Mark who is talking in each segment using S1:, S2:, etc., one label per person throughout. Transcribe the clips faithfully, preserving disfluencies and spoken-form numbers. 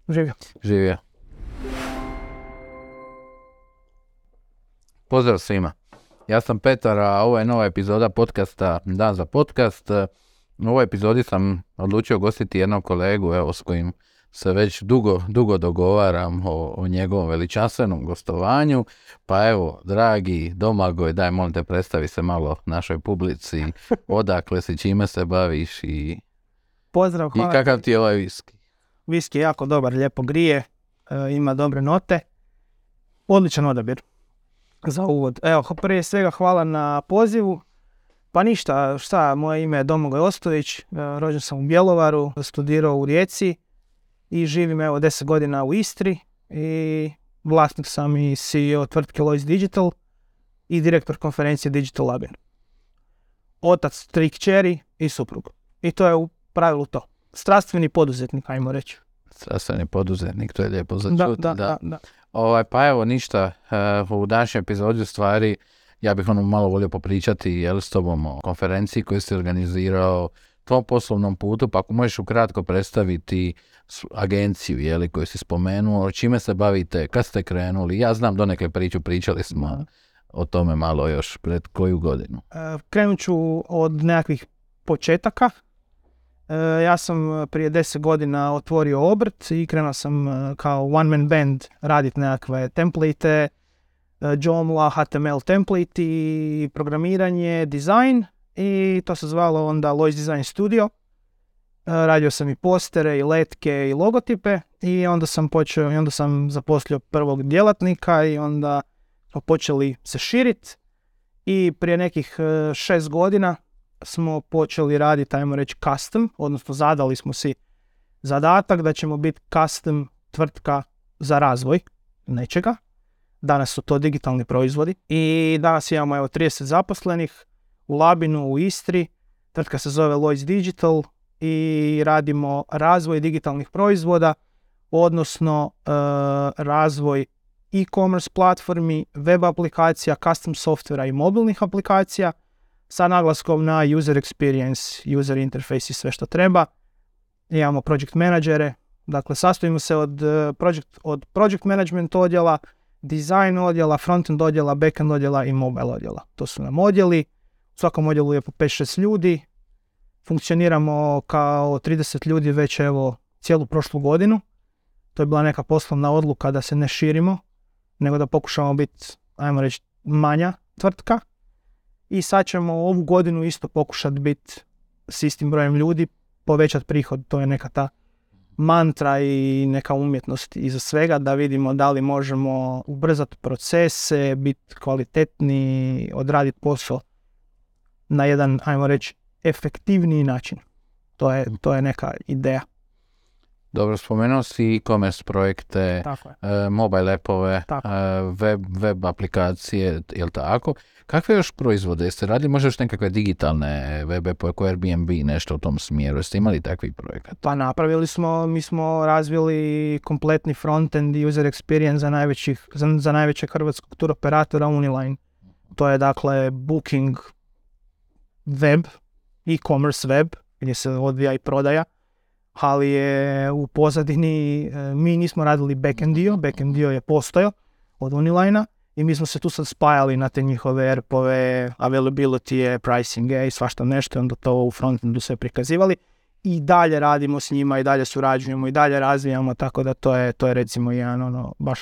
S1: Živio.
S2: Živio. Pozdrav svima. Ja sam Petar, a ovo je nova epizoda podcasta Dan za podcast. U ovoj epizodi sam odlučio gostiti jednog kolegu, evo, s kojim se već dugo, dugo dogovaram o, o njegovom veličanstvenom gostovanju. Pa evo, dragi Domagoj, daj molim te, predstavi se malo našoj publici, odakle si, čime se baviš i,
S1: Pozdrav, hvala.
S2: i kakav ti je ovaj viski.
S1: Viski je jako dobar, lijepo grije, e, ima dobre note. Odličan odabir za uvod. Evo, prije svega hvala na pozivu. Pa ništa, šta, moje ime je Domagoj Ostojić, e, rođen sam u Bjelovaru, studirao u Rijeci i živim evo deset godina u Istri i vlasnik sam i C E O tvrtke Lois Digital i direktor konferencije Digital Labin. Otac, tri kćeri i suprug. I to je u pravilu to. Strastveni poduzetnik, ajmo reći.
S2: Strastveni poduzetnik, to je lijepo za
S1: Da,
S2: čuti.
S1: da, da, da.
S2: Ovaj, pa evo ništa, uh, u današnjoj epizodi u stvari ja bih ono malo volio popričati jel, s tobom o konferenciji koju si organizirao, tvom poslovnom putu, pa ako možeš ukratko predstaviti agenciju jeli, koju si spomenuo, čime se bavite, kad ste krenuli, ja znam donekle priču, pričali smo da. o tome malo još pred koju godinu.
S1: Uh, krenut ću od nekakvih početaka. Uh, ja sam prije deset godina otvorio obrt i krenuo sam uh, kao one man band raditi nekakve template, uh, Joomla, H T M L template i programiranje, dizajn i to se zvalo onda Lois Design Studio. Uh, radio sam i postere i letke i logotipe i onda sam počeo i onda sam zaposlio prvog djelatnika i onda smo počeli se širiti i prije nekih uh, šest godina smo počeli raditi, ajmo reći, custom, odnosno zadali smo si zadatak da ćemo biti custom tvrtka za razvoj nečega. Danas su to digitalni proizvodi i danas imamo evo trideset zaposlenih u Labinu, u Istri. Tvrtka se zove Lois Digital i radimo razvoj digitalnih proizvoda, odnosno uh, razvoj e-commerce platformi, web aplikacija, custom softvera i mobilnih aplikacija sa naglaskom na user experience, user interface i sve što treba. Imamo project menadžere, dakle sastojimo se od, uh, project, od project management odjela, design odjela, frontend odjela, backend odjela i mobile odjela. To su nam odjeli. U svakom odjelu je po pet šest ljudi. Funkcioniramo kao trideset ljudi već evo cijelu prošlu godinu. To je bila neka poslovna odluka da se ne širimo, nego da pokušamo biti, ajmo reći, manja tvrtka. I sad ćemo ovu godinu isto pokušati biti s istim brojem ljudi, povećati prihod. To je neka ta mantra i neka umjetnost iza svega, da vidimo da li možemo ubrzati procese, biti kvalitetni, odraditi posao na jedan, ajmo reći, efektivniji način. To je, to je neka ideja.
S2: Dobro, spomenuo si e-commerce projekte, e, mobile appove, e, web, web aplikacije, jel tako? Kakve još proizvode jeste radili? Možda još nekakve digitalne web appove, kao Airbnb, nešto u tom smjeru? Jeste imali takvih projekata?
S1: Pa napravili smo, mi smo razvili kompletni frontend i user experience za, najvećih, za, za najvećeg hrvatskog tur operatora Uniline. To je dakle booking web, e-commerce web, gdje se odvija i prodaja. Ali je u pozadini, mi nismo radili backend dio, backend dio je postojao od Unilina i mi smo se tu sad spajali na te njihove E R P-ove, availability, pricing i svašta nešto, onda to u frontendu sve prikazivali i dalje radimo s njima i dalje surađujemo i dalje razvijamo, tako da to je, to je recimo jedan ono, baš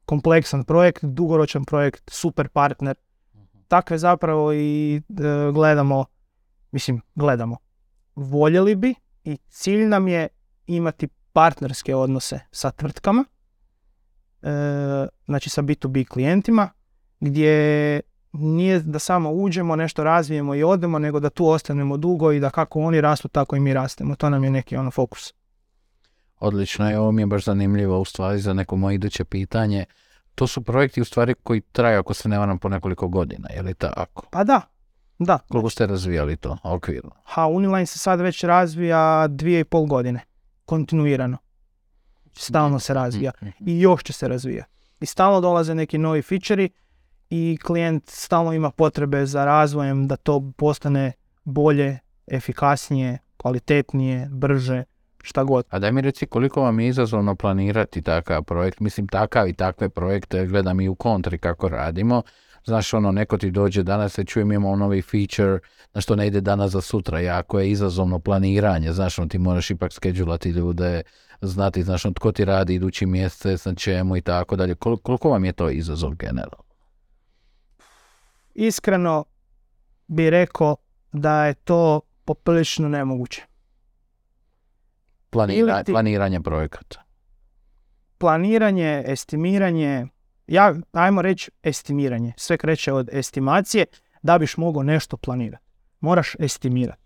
S1: kompleksan projekt, dugoročan projekt, super partner. Takve zapravo i e, gledamo, mislim gledamo, voljeli bi i cilj nam je imati partnerske odnose sa tvrtkama, e, znači sa B to B klijentima, gdje nije da samo uđemo, nešto razvijemo i odemo, nego da tu ostanemo dugo i da kako oni rastu, tako i mi rastemo. To nam je neki ono fokus.
S2: Odlično, i ovo mi je baš zanimljivo u stvari za neko moje iduće pitanje. To su projekti u stvari koji traju, ako se ne varam, po nekoliko godina, je li tako?
S1: Pa da. Da.
S2: Koliko ste razvijali to okvirno?
S1: Ha, Uniline se sad već razvija dvije i pol godine. Kontinuirano. Stalno se razvija. I još će se razvijati. I stalno dolaze neki novi feature-i i klijent stalno ima potrebe za razvojem da to postane bolje, efikasnije, kvalitetnije, brže, šta god.
S2: A daj mi reci koliko vam je izazovno planirati takav projekt, mislim takav i takve projekte, gledam i u kontri kako radimo. Znaš, ono, neko ti dođe, danas se čujem, imamo novi feature, na što ne ide danas za sutra, jako je izazovno planiranje, znaš, ono, ti moraš ipak skedulati ljude, znati, znaš, ono, tko ti radi idući mjesec, na čemu i tako dalje. Kol- koliko vam je to izazov generalno?
S1: Iskreno bi rekao da je to poprilično nemoguće.
S2: Planira,
S1: ti-
S2: planiranje projekata.
S1: Planiranje, estimiranje, ja, ajmo reći estimiranje. Sve kreće od estimacije da biš mogao nešto planirati. Moraš estimirati.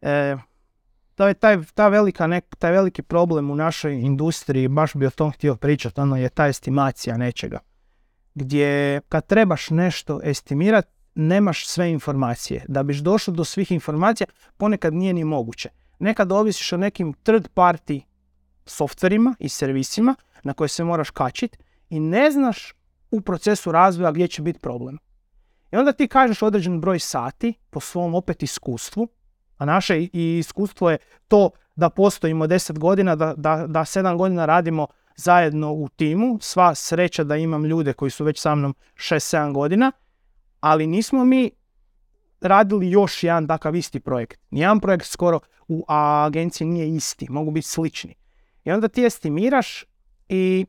S1: E, to je taj, ta velika nek, taj veliki problem u našoj industriji, baš bi o tom htio pričati, ono je ta estimacija nečega. Gdje kad trebaš nešto estimirati, nemaš sve informacije. Da biš došao do svih informacija, ponekad nije ni moguće. Nekad ovisiš o nekim third party softverima i servisima na koje se moraš kačiti i ne znaš u procesu razvoja gdje će biti problem. I onda ti kažeš određen broj sati po svom opet iskustvu, a naše i iskustvo je to da postojimo deset godina, da, da, da sedam godina radimo zajedno u timu. Sva sreća da imam ljude koji su već sa mnom šest sedam godina, ali nismo mi radili još jedan takav isti projekt. Nijedan projekt skoro u agenciji nije isti, mogu biti slični. I onda ti estimiraš i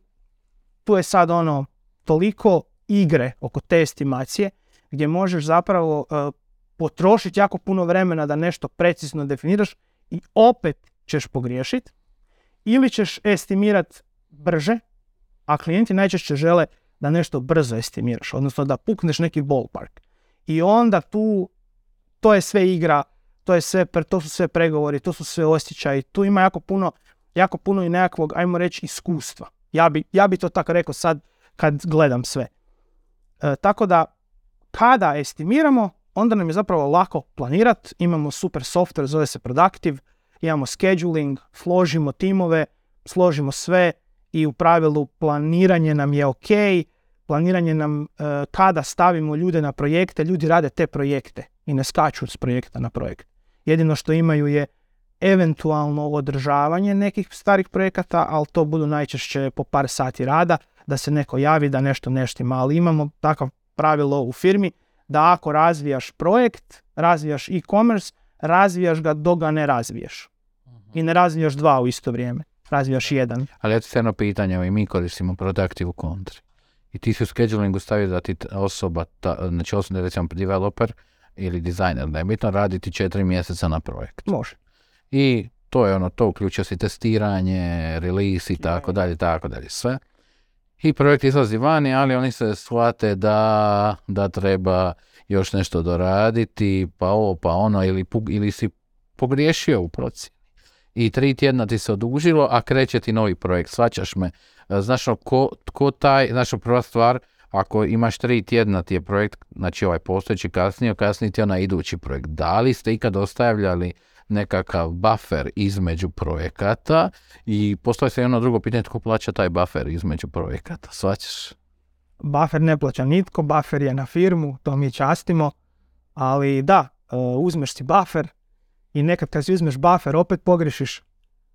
S1: tu je sad ono toliko igre oko te estimacije gdje možeš zapravo uh, potrošiti jako puno vremena da nešto precizno definiraš i opet ćeš pogriješiti. Ili ćeš estimirati brže, a klijenti najčešće žele da nešto brzo estimiraš, odnosno da pukneš neki ballpark. I onda tu, to je sve igra, to, je sve, to su sve pregovori, to su sve osjećaji, tu ima jako puno, jako puno i nekakvog, ajmo reći, iskustva. Ja bi, ja bi to tako rekao sad kad gledam sve. E, tako da, kada estimiramo, onda nam je zapravo lako planirati, imamo super software, zove se Productive, imamo scheduling, složimo timove, složimo sve i u pravilu planiranje nam je ok, planiranje nam uh, kada stavimo ljude na projekte, ljudi rade te projekte i ne skaču s projekta na projekt. Jedino što imaju je eventualno održavanje nekih starih projekata, ali to budu najčešće po par sati rada, da se neko javi da nešto neštima, ali imamo takav pravilo u firmi da ako razvijaš projekt, razvijaš e-commerce, razvijaš ga dok ga ne razviješ. I ne razvijaš dva u isto vrijeme, razvijaš jedan.
S2: Ali ja ti se jedno pitanje, i mi koristimo Productive u kontri. I ti si u schedulingu stavio da ti osoba, ta, znači osoba, recimo developer ili dizajner, da je bitno raditi četiri mjeseca na projekt.
S1: Može.
S2: I to je ono, to uključuje si testiranje, release i tako dalje, tako dalje, sve. I projekt izlazi vani, ali oni se shvate da, da treba još nešto doraditi, pa ovo, pa ono, ili, ili si pogriješio u procjeni. I tri tjedna ti se odužilo, a kreće ti novi projekt, shvaćaš me. Znaš, ko, ko taj, znaš, prva stvar, ako imaš tri tjedna ti je projekt, znači ovaj postojeći kasnije, kasnije ti je onaj idući projekt. Da li ste ikad ostavljali nekakav buffer između projekata i postoji se jedno drugo pitanje, tko plaća taj buffer između projekata, shvaćaš?
S1: Buffer ne plaća nitko, buffer je na firmu, to mi častimo, ali da, uzmeš si buffer i nekad kad si uzmeš buffer opet pogrešiš.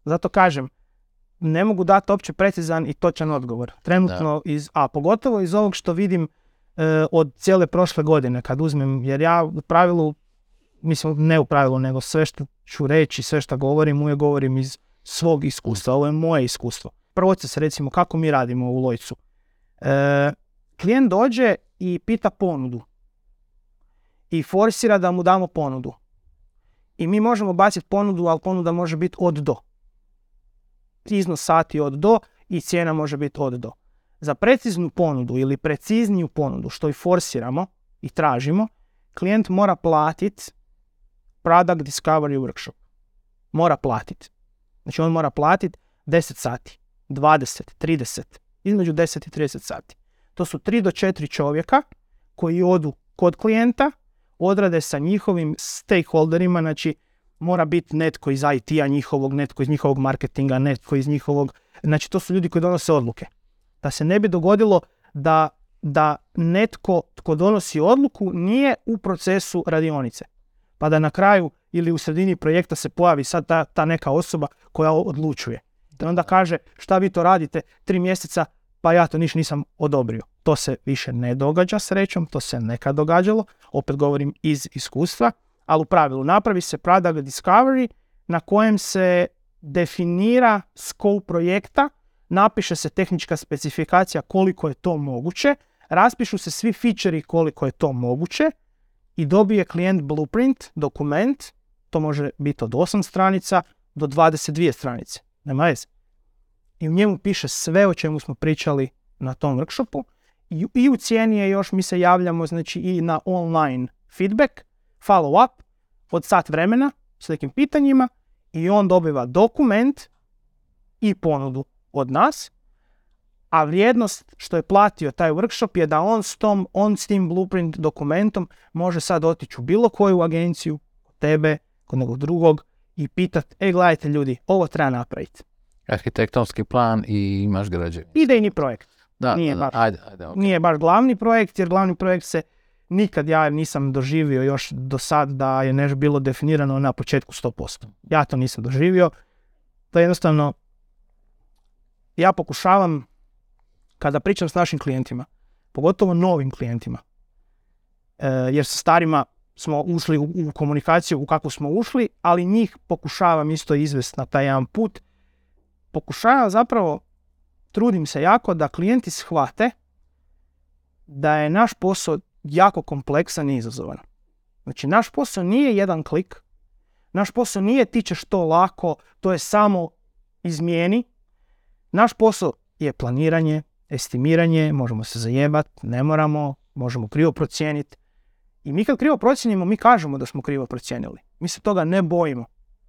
S1: Zato kažem, ne mogu dati opće precizan i točan odgovor. Trenutno, iz, a pogotovo iz ovog što vidim e, od cijele prošle godine kad uzmem, jer ja u pravilu, mislim ne u pravilu, nego sve što ću reći, sve što govorim, uvijek govorim iz svog iskustva. Ovo je moje iskustvo. Proces, recimo, kako mi radimo u Lojcu. E, klijent dođe i pita ponudu. I forsira da mu damo ponudu. I mi možemo baciti ponudu, ali ponuda može biti od do. Iznos sati od do i cijena može biti od do. Za preciznu ponudu ili precizniju ponudu, što i forsiramo i tražimo, klijent mora platiti Product Discovery Workshop. Mora platiti. Znači on mora platiti deset sati, dvadeset, trideset, između deset i trideset sati. To su tri do četiri čovjeka koji odu kod klijenta, odrade sa njihovim stakeholderima, znači mora biti netko iz I T-a njihovog, netko iz njihovog marketinga, netko iz njihovog, znači to su ljudi koji donose odluke. Da se ne bi dogodilo da, da netko tko donosi odluku nije u procesu radionice. Pa da na kraju ili u sredini projekta se pojavi sad ta, ta neka osoba koja odlučuje. I onda kaže šta vi to radite tri mjeseca, pa ja to niš nisam odobrio. To se više ne događa srećom, to se nekad događalo, opet govorim iz iskustva, ali u pravilu napravi se product discovery na kojem se definira scope projekta, napiše se tehnička specifikacija koliko je to moguće, raspišu se svi feature koliko je to moguće i dobije klijent blueprint, dokument, to može biti od osam stranica do dvadeset dvije stranice, nema veze. I u njemu piše sve o čemu smo pričali na tom workshopu i, i u cijeni je još, mi se javljamo znači i na online feedback, follow up od sat vremena s nekim pitanjima i on dobiva dokument i ponudu od nas, a vrijednost što je platio taj workshop je da on s, tom, on s tim blueprint dokumentom može sad otići u bilo koju agenciju, kod tebe, kod nekog drugog i pitat, e gledajte ljudi, ovo treba napraviti.
S2: Arhitektonski plan i imaš građevinu.
S1: Idejni projekt.
S2: Da,
S1: nije,
S2: da,
S1: baš,
S2: ajde, ajde, okay.
S1: nije baš glavni projekt, jer glavni projekt se nikad ja nisam doživio još do sad da je nešto bilo definirano na početku sto posto. Ja to nisam doživio. To je jednostavno, ja pokušavam, kada pričam s našim klijentima, pogotovo novim klijentima, e, jer sa starima smo ušli u, u komunikaciju u kakvu smo ušli, ali njih pokušavam isto izvesti na taj jedan put. Pokušavam zapravo, trudim se jako da klijenti shvate da je naš posao jako kompleksan i izazovan. Znači, naš posao nije jedan klik, naš posao nije ti ćeš to lako, to je samo izmijeni. Naš posao je planiranje, estimiranje, možemo se zajebat, ne moramo, možemo krivo procijeniti. I mi kad krivo procijenimo, mi kažemo da smo krivo procijenili. Mi se toga ne bojimo.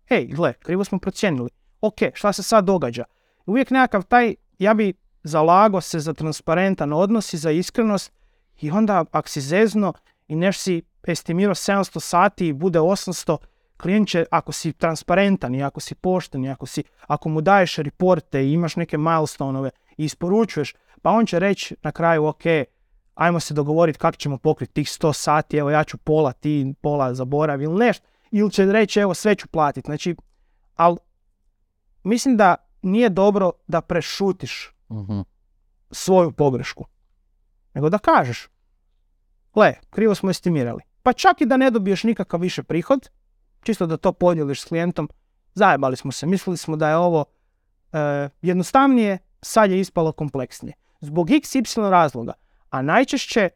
S1: Hej, gle, krivo smo procijenili. Ok, šta se sad događa? Uvijek nekakav taj, ja bi zalagao se za transparentan odnos i za iskrenost i onda ako si zezno i neš si estimirao sedamsto sati i bude osamsto, klijent će, ako si transparentan i ako si pošten i ako, si, ako mu daješ reporte i imaš neke milestone-ove i isporučuješ, pa on će reći na kraju, ok, ajmo se dogovoriti kako ćemo pokriti tih sto sati, evo ja ću pola, ti pola zaboravi ili nešto, ili će reći evo sve ću platiti. Znači, ali mislim da nije dobro da prešutiš uh-huh. svoju pogrešku, nego da kažeš, gle, krivo smo estimirali. Pa čak i da ne dobiješ nikakav više prihod, čisto da to podijeliš s klijentom, zajebali smo se, mislili smo da je ovo e, jednostavnije, sad je ispalo kompleksnije. Zbog iks ipsilon razloga, a najčešće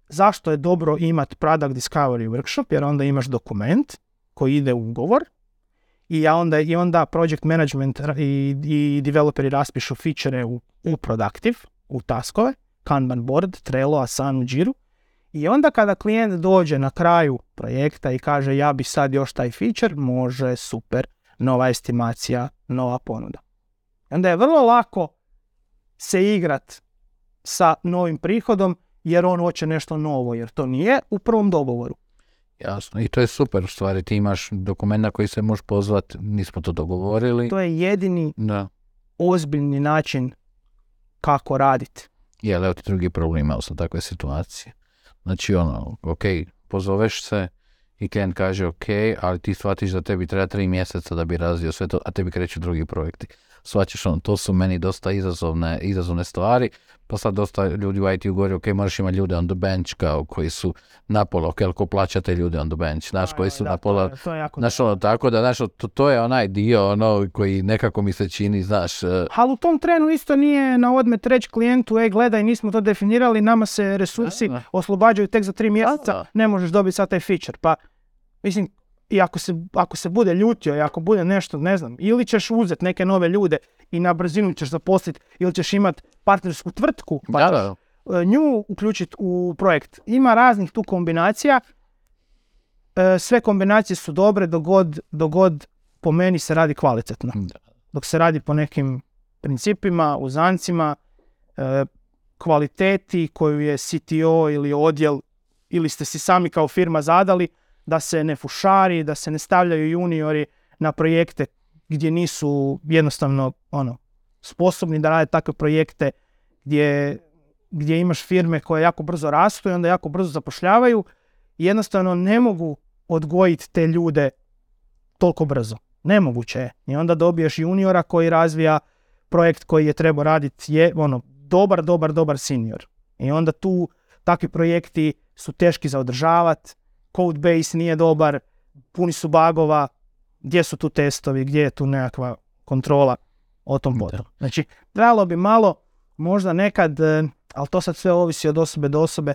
S1: zašto je dobro imati product discovery workshop, jer onda imaš dokument koji ide u ugovor i onda, i onda project management i, i developeri raspišu feature u, u productive, u taskove, Kanban board, Trello, Asana, Jiru. I onda kada klijent dođe na kraju projekta i kaže ja bi sad još taj feature, može, super, nova estimacija, nova ponuda. I onda je vrlo lako se igrat sa novim prihodom jer on hoće nešto novo, jer to nije u prvom dogovoru.
S2: Jasno, i to je super u stvari, ti imaš dokument na koji se možeš pozvati, nismo to dogovorili.
S1: To je jedini
S2: da.
S1: ozbiljni način kako raditi.
S2: Je, ali evo ti drugi problem, imao sam takve situacije. Znači ono, ok, pozoveš se i klijent kaže ok, ali ti shvatiš da tebi treba tri mjeseca da bi razvio sve to, a tebi kreću drugi projekti. Shvaćaš ono, to su meni dosta izazovne, izazovne stvari, pa sad dosta ljudi u i te-u govori, ok, moraš imati ljude on the bench kao koji su na pola, ok, ali ko plaćate ljude on the bench, znaš, koji su
S1: da,
S2: na pola,
S1: to je, to je
S2: znaš ono, tako da, znaš, to, to je onaj dio, ono, koji nekako mi se čini, znaš. Uh...
S1: Ali u tom trenu isto nije na odmet reći klijentu, ej, gledaj, nismo to definirali, nama se resursi da, da. oslobađaju tek za tri mjeseca, da. ne možeš dobiti sad taj feature, pa, mislim, i ako se, ako se bude ljutio i ako bude nešto, ne znam, ili ćeš uzeti neke nove ljude i na brzinu ćeš zaposliti, ili ćeš imati partnersku tvrtku, pa
S2: da, da.
S1: ćeš nju uključiti u projekt. Ima raznih tu kombinacija, sve kombinacije su dobre dok god, dok god po meni se radi kvalitetno. Da. Dok se radi po nekim principima, uzancima, kvaliteti koju je C T O ili odjel, ili ste si sami kao firma zadali, da se ne fušari, da se ne stavljaju juniori na projekte gdje nisu jednostavno ono, sposobni da rade takve projekte gdje, gdje imaš firme koje jako brzo rastu i onda jako brzo zapošljavaju i jednostavno ne mogu odgojiti te ljude toliko brzo. Nemoguće je. I onda dobiješ juniora koji razvija projekt koji je trebao raditi, je ono, dobar, dobar, dobar senior. I onda tu takvi projekti su teški za održavati, code base nije dobar, puni su bugova, gdje su tu testovi, gdje je tu nekakva kontrola o tom potom. Znači, trebalo bi malo, možda nekad, ali to sad sve ovisi od osobe do osobe,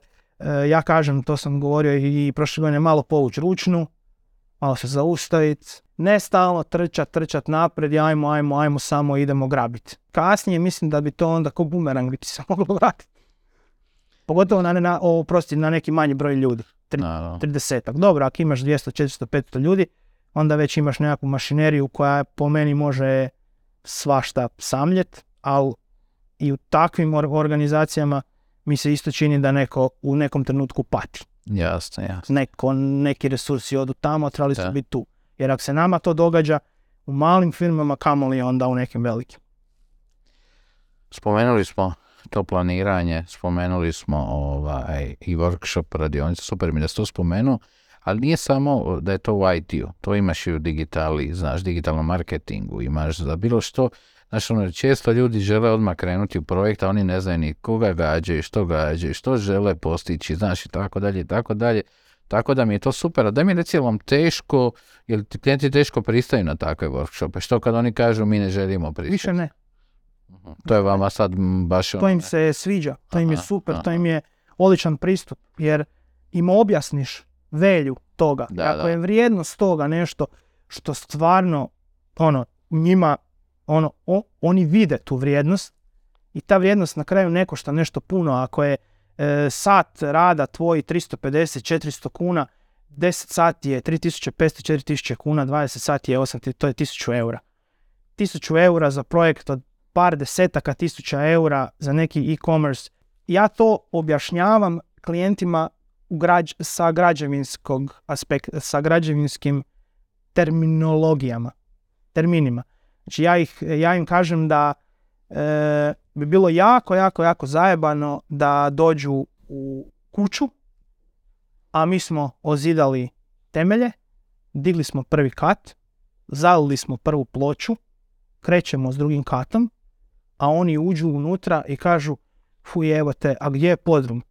S1: ja kažem, to sam govorio i prošle godine, malo povući ručnu, malo se zaustaviti, ne stalno trčat, trčat napred i ajmo, ajmo, ajmo, samo idemo grabiti. Kasnije mislim da bi to onda ko bumerang bi ti se moglo vratiti. Pogotovo na, na, o, prosti, na neki manji broj ljudi, Tri, no. tridesetak. Dobro, ako imaš dvjesto, četiristo, petsto ljudi, onda već imaš nekakvu mašineriju koja po meni može svašta samljet, ali i u takvim organizacijama mi se isto čini da neko u nekom trenutku pati.
S2: Jasno, jasno.
S1: Neko, neki resursi odu tamo, trebali su biti tu. Jer ako se nama to događa u malim firmama, kamoli onda u nekim velikim.
S2: Spomenuli smo to planiranje, spomenuli smo ovaj, i workshop radionice, super mi da si to spomenuo, ali nije samo da je to u I T-u, to imaš i u digitali, znaš, digitalnom marketingu, imaš za bilo što. Znaš, ono, često ljudi žele odmah krenuti u projekt, a oni ne znaju ni koga gađaju, što gađaju, što žele postići, znaš, i tako dalje, i tako dalje. Tako da mi je to super. A da mi je recimo teško, jer ti klijenti teško pristaju na takve workshope. Što kad oni kažu mi ne želimo pristati?
S1: Više ne.
S2: To je vama sad baš ono...
S1: To im se sviđa, to im je super, aha. To im je odličan pristup, jer im objasniš velju toga.
S2: Da,
S1: ako
S2: da.
S1: je vrijednost toga nešto što stvarno ono, njima, ono, o, oni vide tu vrijednost i ta vrijednost na kraju ne košta nešto puno. Ako je e, sat rada tvoj tristo pedeset do četiristo kuna, deset sati je tri tisuće petsto do četiri tisuće kuna, dvadeset sati je osam, to je tisuću eura. tisuću eura za projekt od par desetaka tisuća eura za neki e-commerce. Ja to objašnjavam klijentima u građ, sa građevinskog aspekta, sa građevinskim terminologijama, terminima. Znači ja, ih, ja im kažem da e, bi bilo jako, jako, jako zajebano da dođu u kuću, a mi smo ozidali temelje, digli smo prvi kat, zalili smo prvu ploču, krećemo s drugim katom, a oni uđu unutra i kažu, fuj, evo te, a gdje je podrum?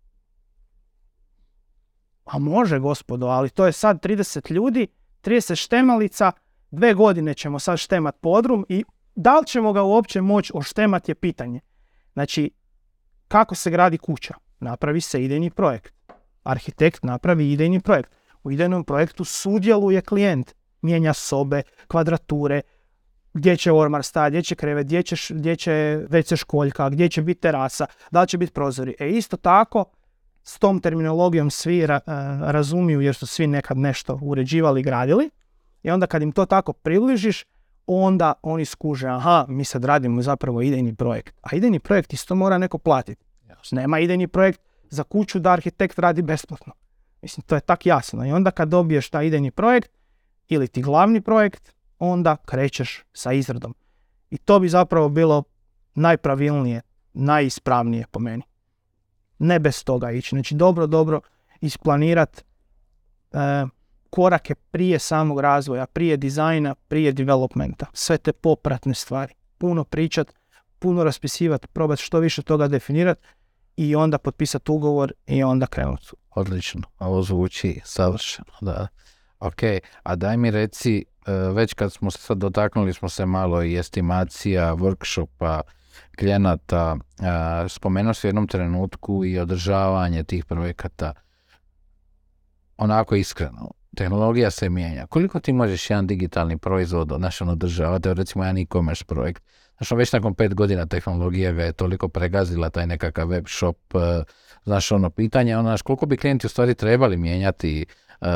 S1: A može, gospodo, ali to je sad trideset ljudi, trideset štemalica, dve godine ćemo sad štemat podrum i da li ćemo ga uopće moći oštemat je pitanje. Znači, kako se gradi kuća? Napravi se idejni projekt. Arhitekt napravi idejni projekt. U idejnom projektu sudjeluje klijent. Mijenja sobe, kvadrature, gdje će ormar stajati, gdje će krevet, gdje će, gdje će ve ce školjka, gdje će biti terasa, da li će biti prozori. E isto tako, s tom terminologijom svi ra, razumiju jer su svi nekad nešto uređivali i gradili. I onda kad im to tako približiš, onda oni skuže, aha, mi sad radimo zapravo idejni projekt. A idejni projekt isto mora neko platiti. Nema idejni projekt za kuću da arhitekt radi besplatno. Mislim, to je tak jasno. I onda kad dobiješ taj idejni projekt ili ti glavni projekt, onda krećeš sa izradom. I to bi zapravo bilo najpravilnije, najispravnije po meni. Ne bez toga ići. Znači dobro, dobro isplanirati e, korake prije samog razvoja, prije dizajna, prije developmenta. Sve te popratne stvari. Puno pričat, puno raspisivati, probati što više toga definirati i onda potpisati ugovor i onda krenuti.
S2: Odlično, ovo zvuči savršeno, da. Ok, a daj mi reci, već kad smo se sad dotaknuli smo se malo i estimacija, workshopa, klijenata, spomenuo si u jednom trenutku i održavanje tih projekata. Onako iskreno, tehnologija se mijenja. Koliko ti možeš jedan digitalni proizvod znaš, on održavati, recimo jedan e-commerce projekt? Znaš, već nakon pet godina tehnologija ga je toliko pregazila, taj nekakav web shop, znaš, ono pitanje, ono, znaš, koliko bi klijenti u stvari trebali mijenjati uh,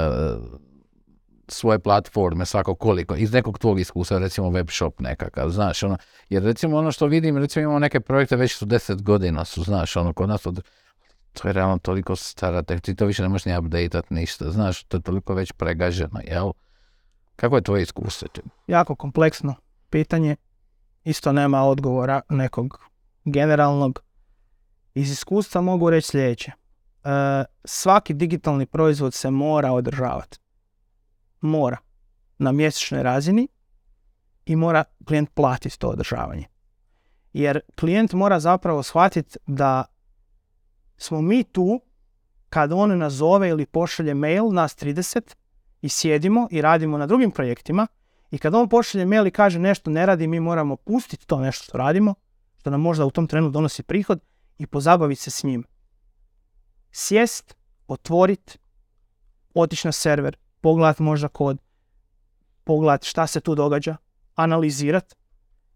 S2: svoje platforme, svako koliko, iz nekog tvog iskustva, recimo web shop nekakav, znaš, ono, jer recimo ono što vidim, recimo imamo neke projekte, već su deset godina su, znaš, ono, kod nas od, to je realno toliko stara, ti to više ne možeš ni update-at ništa, znaš, to je toliko već pregaženo, jel? Kako je tvoje iskustvo?
S1: Jako kompleksno pitanje, isto nema odgovora nekog generalnog. Iz iskustva mogu reći sljedeće. E, svaki digitalni proizvod se mora održavati. Mora. na mjesečnoj razini i mora klijent platiti to održavanje. Jer klijent mora zapravo shvatiti da smo mi tu kad on nazove ili pošalje mail, nas trideset, i sjedimo i radimo na drugim projektima, i kad on pošalje mail i kaže nešto ne radi, mi moramo pustiti to nešto što radimo, što nam možda u tom trenu donosi prihod, i pozabaviti se s njim. Sjest, otvoriti, otići na server, pogledati možda kod, pogledati šta se tu događa, analizirati,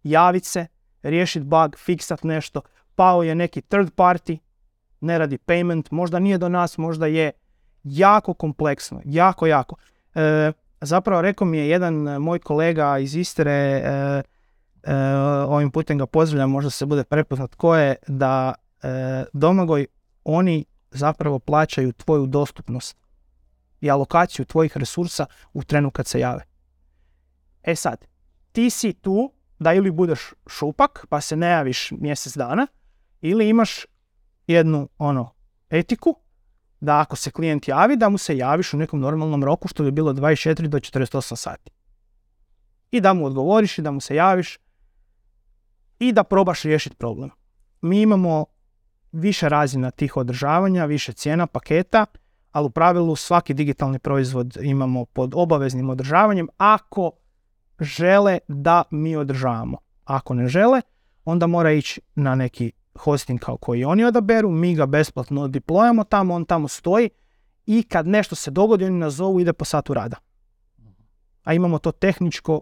S1: javiti se, riješiti bug, fiksati nešto, pao je neki third party, ne radi payment, možda nije do nas, možda je. Jako kompleksno, jako, jako. E, zapravo rekao mi je jedan moj kolega iz Istre, e, e, ovim putem ga pozdravljam, možda se bude prepoznat ko je, da e, Domagoj, oni zapravo plaćaju tvoju dostupnost i alokaciju tvojih resursa u trenu kad se jave. E sad, ti si tu da ili budeš šupak pa se ne javiš mjesec dana, ili imaš jednu ono etiku da ako se klijent javi, da mu se javiš u nekom normalnom roku, što bi bilo dvadeset četiri do četrdeset osam sati. I da mu odgovoriš i da mu se javiš i da probaš riješiti problem. Mi imamo više razina tih održavanja, više cijena, paketa, ali u pravilu svaki digitalni proizvod imamo pod obaveznim održavanjem ako žele da mi održavamo. Ako ne žele, onda mora ići na neki hosting kao koji oni odaberu, mi ga besplatno deployamo tamo, on tamo stoji i kad nešto se dogodi, oni nas zovu, ide po satu rada. A imamo to tehničko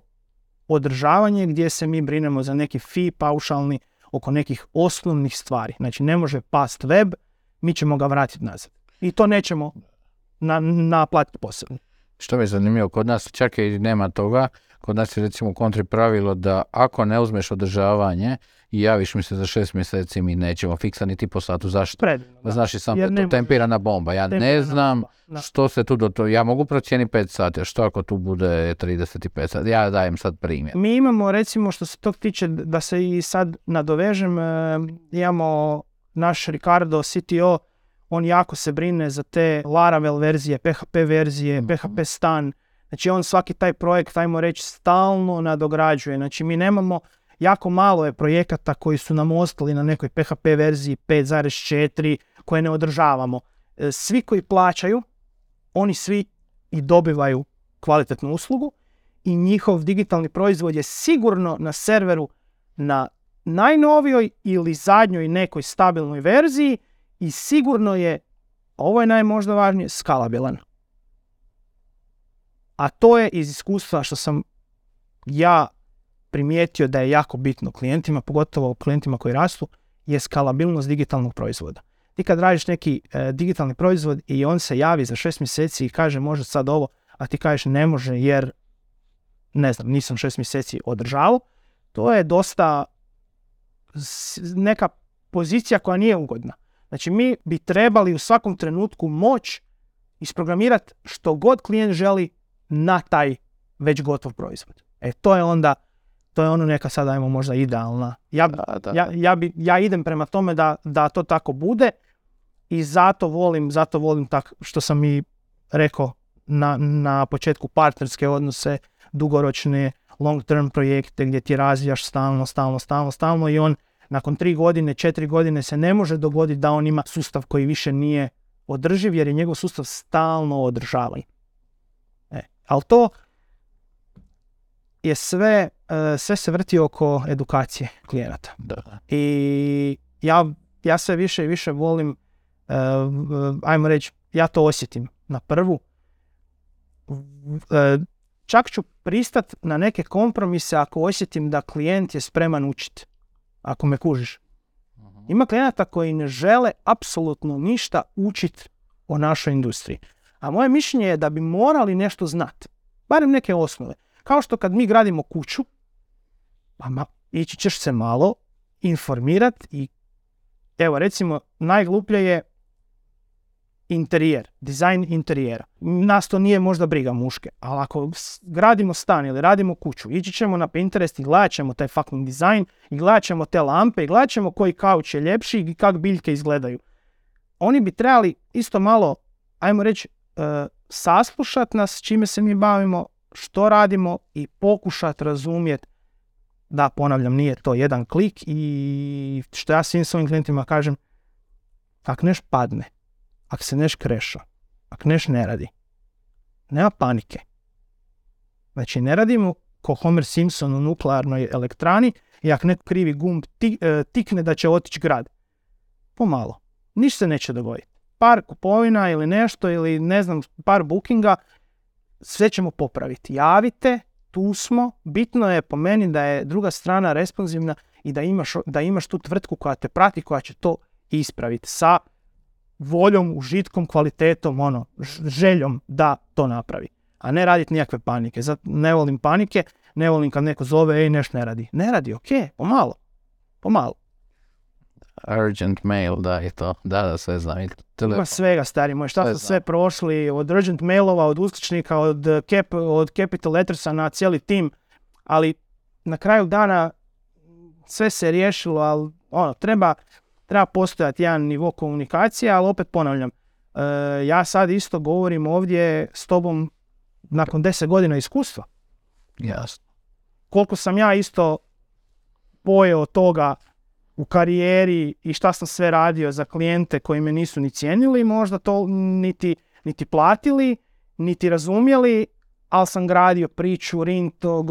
S1: održavanje gdje se mi brinemo za neki fee paušalni oko nekih osnovnih stvari. Znači ne može past web, mi ćemo ga vratiti nazad. I to nećemo na, naplatiti posebno.
S2: Što mi je zanimljivo, kod nas čak i nema toga, kod nas je recimo kontri pravilo da ako ne uzmeš održavanje i javiš mi se za šest mjeseci, mi nećemo fiksa niti po satu. Zašto?
S1: Predivno, da.
S2: Znaš i sam da je to tempirana bomba. Ja ne znam
S1: bomba.
S2: što se tu do to... Ja mogu procijeniti pet sati, a što ako tu bude trideset pet sati? Ja dajem sad primjer.
S1: Mi imamo, recimo, što se tog tiče, da se i sad nadovežem, e, imamo naš Ricardo, C T O, on jako se brine za te Laravel verzije, P H P verzije, mm-hmm. P H P stan. Znači on svaki taj projekt, ajmo reći, stalno nadograđuje. Znači mi nemamo, jako malo je projekata koji su nam ostali na nekoj P H P verziji pet zarez četiri koje ne održavamo. Svi koji plaćaju, oni svi i dobivaju kvalitetnu uslugu i njihov digitalni proizvod je sigurno na serveru na najnovijoj ili zadnjoj nekoj stabilnoj verziji i sigurno je, ovo je najmožda važnije, skalabilan. A to je iz iskustva što sam ja primijetio da je jako bitno klijentima, pogotovo klijentima koji rastu, je skalabilnost digitalnog proizvoda. Ti kad radiš neki e, digitalni proizvod i on se javi za šest mjeseci i kaže može sad ovo, a ti kažeš ne može jer ne znam, nisam šest mjeseci održavao, to je dosta neka pozicija koja nije ugodna. Znači mi bi trebali u svakom trenutku moć isprogramirati što god klijent želi na taj već gotov proizvod. E to je onda, to je ono neka sad ajmo možda idealna. Ja, da, da. ja, ja, bi, ja idem prema tome da, da to tako bude i zato volim, zato volim tak što sam i rekao na, na početku partnerske odnose, dugoročne long term projekte gdje ti razvijaš stalno, stalno, stalno, stalno i on nakon tri godine, četiri godine se ne može dogoditi da on ima sustav koji više nije održiv jer je njegov sustav stalno održavan. E, ali to je sve, sve se vrti oko edukacije klijenata.
S2: Da.
S1: I ja, ja sve više i više volim, ajmo reći, ja to osjetim na prvu. Čak ću pristat na neke kompromise ako osjetim da klijent je spreman učiti. Ako me kužiš. Ima klijenata koji ne žele apsolutno ništa učiti o našoj industriji. A moje mišljenje je da bi morali nešto znati. Barem neke osnove. Kao što kad mi gradimo kuću, pa ma, ići ćeš se malo informirati i evo recimo najgluplje je interijer, dizajn interijera. Nas to nije možda briga muške, ali ako gradimo stan ili radimo kuću, ići ćemo na Pinterest i gledat ćemo taj fucking dizajn i gledat ćemo te lampe i gledat ćemo koji kauč je ljepši i kak biljke izgledaju. Oni bi trebali isto malo, ajmo reći, uh, saslušati nas čime se mi bavimo što radimo i pokušati razumjeti da, ponavljam, nije to jedan klik i što ja svim svojim klijentima kažem, ako neš padne, ako se neš kreša, ako neš ne radi, nema panike. Znači, ne radimo ko Homer Simpson u nuklearnoj elektrani i ako neko krivi gumb ti, e, tikne da će otići grad. Pomalo. Ništa se neće dogoditi. Par kupovina ili nešto ili ne znam, par bookinga, sve ćemo popraviti. Javite, tu smo. Bitno je po meni da je druga strana responsivna i da imaš, da imaš tu tvrtku koja te prati, koja će to ispraviti sa voljom, užitkom, kvalitetom, ono, željom da to napravi. A ne raditi nikakve panike. Zato ne volim panike, ne volim kad neko zove, ej, nešto ne radi. Ne radi, ok, pomalo. Pomalo.
S2: Urgent mail, da, je to. Da, da, sve znam.
S1: Ima svega, stari moj. Šta smo sve prošli, od urgent mailova, od uskličnika, od, cap, od capital lettersa na cijeli tim. Ali na kraju dana sve se riješilo, ali ono, treba, treba postojati jedan nivo komunikacije, ali opet ponavljam, e, ja sad isto govorim ovdje s tobom nakon deset godina iskustva.
S2: Jasno.
S1: Koliko sam ja isto pojeo toga u karijeri i šta sam sve radio za klijente koji me nisu ni cijenili, možda to niti, niti platili, niti razumjeli, ali sam gradio priču, rinto,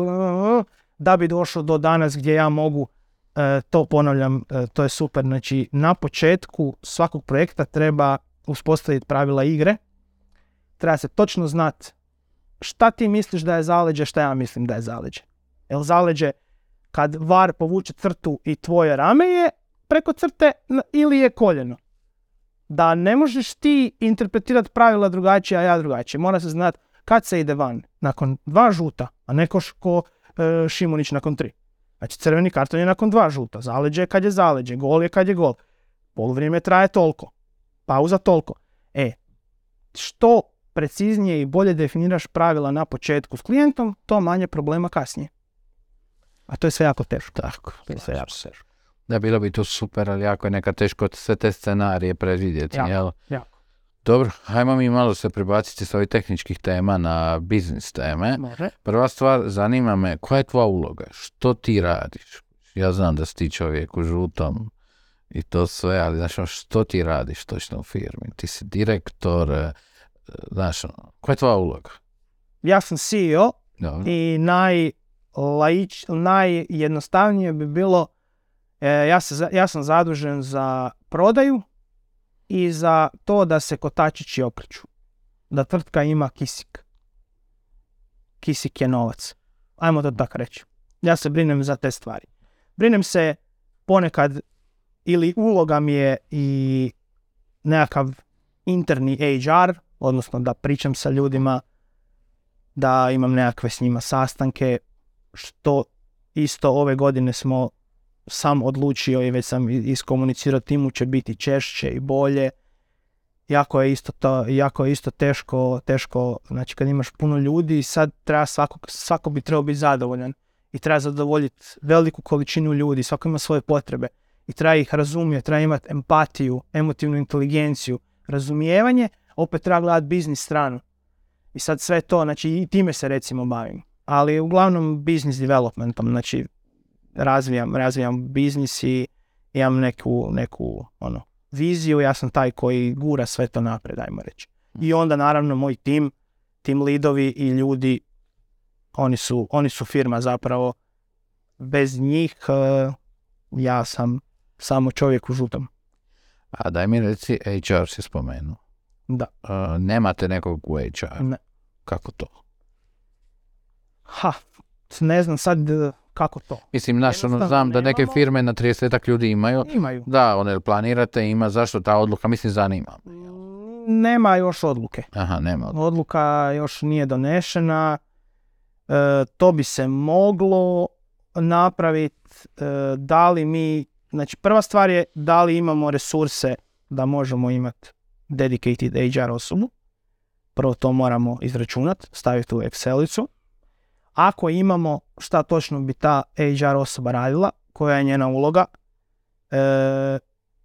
S1: da bi došao do danas gdje ja mogu, e, to ponavljam, e, to je super. Znači, na početku svakog projekta treba uspostaviti pravila igre, treba se točno znati šta ti misliš da je zaleđe, šta ja mislim da je zaleđe. Jel zaleđe kad var povuče crtu i tvoje rame je preko crte ili je koljeno? Da ne možeš ti interpretirati pravila drugačije, a ja drugačije. Mora se znati kad se ide van. Nakon dva žuta, a ne ko, ko e, Šimunić nakon tri. Znači, crveni karton je nakon dva žuta. Zaleđe je kad je zaleđe. Gol je kad je gol. Poluvrijeme traje toliko. Pauza toliko. E, što preciznije i bolje definiraš pravila na početku s klijentom, to manje problema kasnije. A to je sve jako teško.
S2: Tako.
S1: To je sve jako teško.
S2: Da, bilo bi to super, ali jako je nekad teško sve te scenarije predvidjeti.
S1: Jako,
S2: jel?
S1: jako.
S2: Dobro, hajmo mi malo se prebaciti s ovih tehničkih tema na biznis teme.
S1: Može.
S2: Prva stvar, zanima me, koja je tvoja uloga? Što ti radiš? Ja znam da si ti čovjek u žutom i to sve, ali znaš, što ti radiš točno u firmi? Ti si direktor, znaš, koja je tvoja uloga?
S1: Ja sam C E O.
S2: Dobro.
S1: I naj, laič, najjednostavnije bi bilo, e, ja, se, ja sam zadužen za prodaju i za to da se kotačići okreću. Da tvrtka ima kisik. Kisik je novac. Ajmo to tako reći. Ja se brinem za te stvari. Brinem se ponekad, ili uloga mi je i nekakav interni H R, odnosno da pričam sa ljudima, da imam nekakve s njima sastanke, što isto ove godine smo sam odlučio i već sam iskomunicirao timu će biti češće i bolje. Jako je isto to, jako je isto teško, teško, znači kad imaš puno ljudi, sad treba svako, svako bi trebao biti zadovoljan i treba zadovoljiti veliku količinu ljudi, svako ima svoje potrebe i treba ih razumjeti, treba imati empatiju, emotivnu inteligenciju, razumijevanje, opet treba gledati biznis stranu. I sad sve to, znači i time se recimo bavim. Ali uglavnom business developmentom, znači razvijam, razvijam biznis i imam neku, neku ono, viziju, ja sam taj koji gura sve to napred, ajmo reći. I onda naravno moj tim, tim lidovi i ljudi, oni su, oni su firma zapravo. Bez njih uh, ja sam samo čovjek u žutom.
S2: A daj mi reci, H R si spomenuo.
S1: Da.
S2: Uh, nemate nekog u H R?
S1: Ne.
S2: Kako to?
S1: Ha, ne znam sad kako to.
S2: Mislim, naš, ono, znam da neke firme na tridesetak ljudi imaju.
S1: Imaju.
S2: Da, one planirate, ima, zašto ta odluka, mislim, zanima.
S1: Nema još odluke.
S2: Aha, nema odluke.
S1: Odluka još nije donešena. E, to bi se moglo napraviti. E, da li mi, znači prva stvar je da li imamo resurse da možemo imati dedicated H R osobu. Prvo to moramo izračunati, staviti u Excelicu. Ako imamo šta točno bi ta H R osoba radila, koja je njena uloga, e,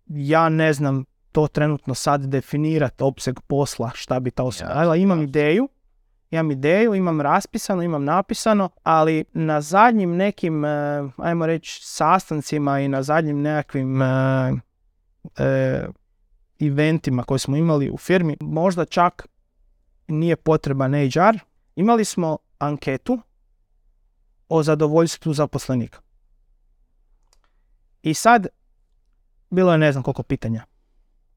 S1: ja ne znam to trenutno sad definirati opseg posla šta bi ta osoba radila. Imam ideju, imam ideju, imam raspisano, imam napisano, ali na zadnjim nekim, ajmo reći, sastancima i na zadnjim nekakvim e, e, eventima koje smo imali u firmi, možda čak nije potreban H R. Imali smo anketu o zadovoljstvu zaposlenika. I sad, bilo je ne znam koliko pitanja,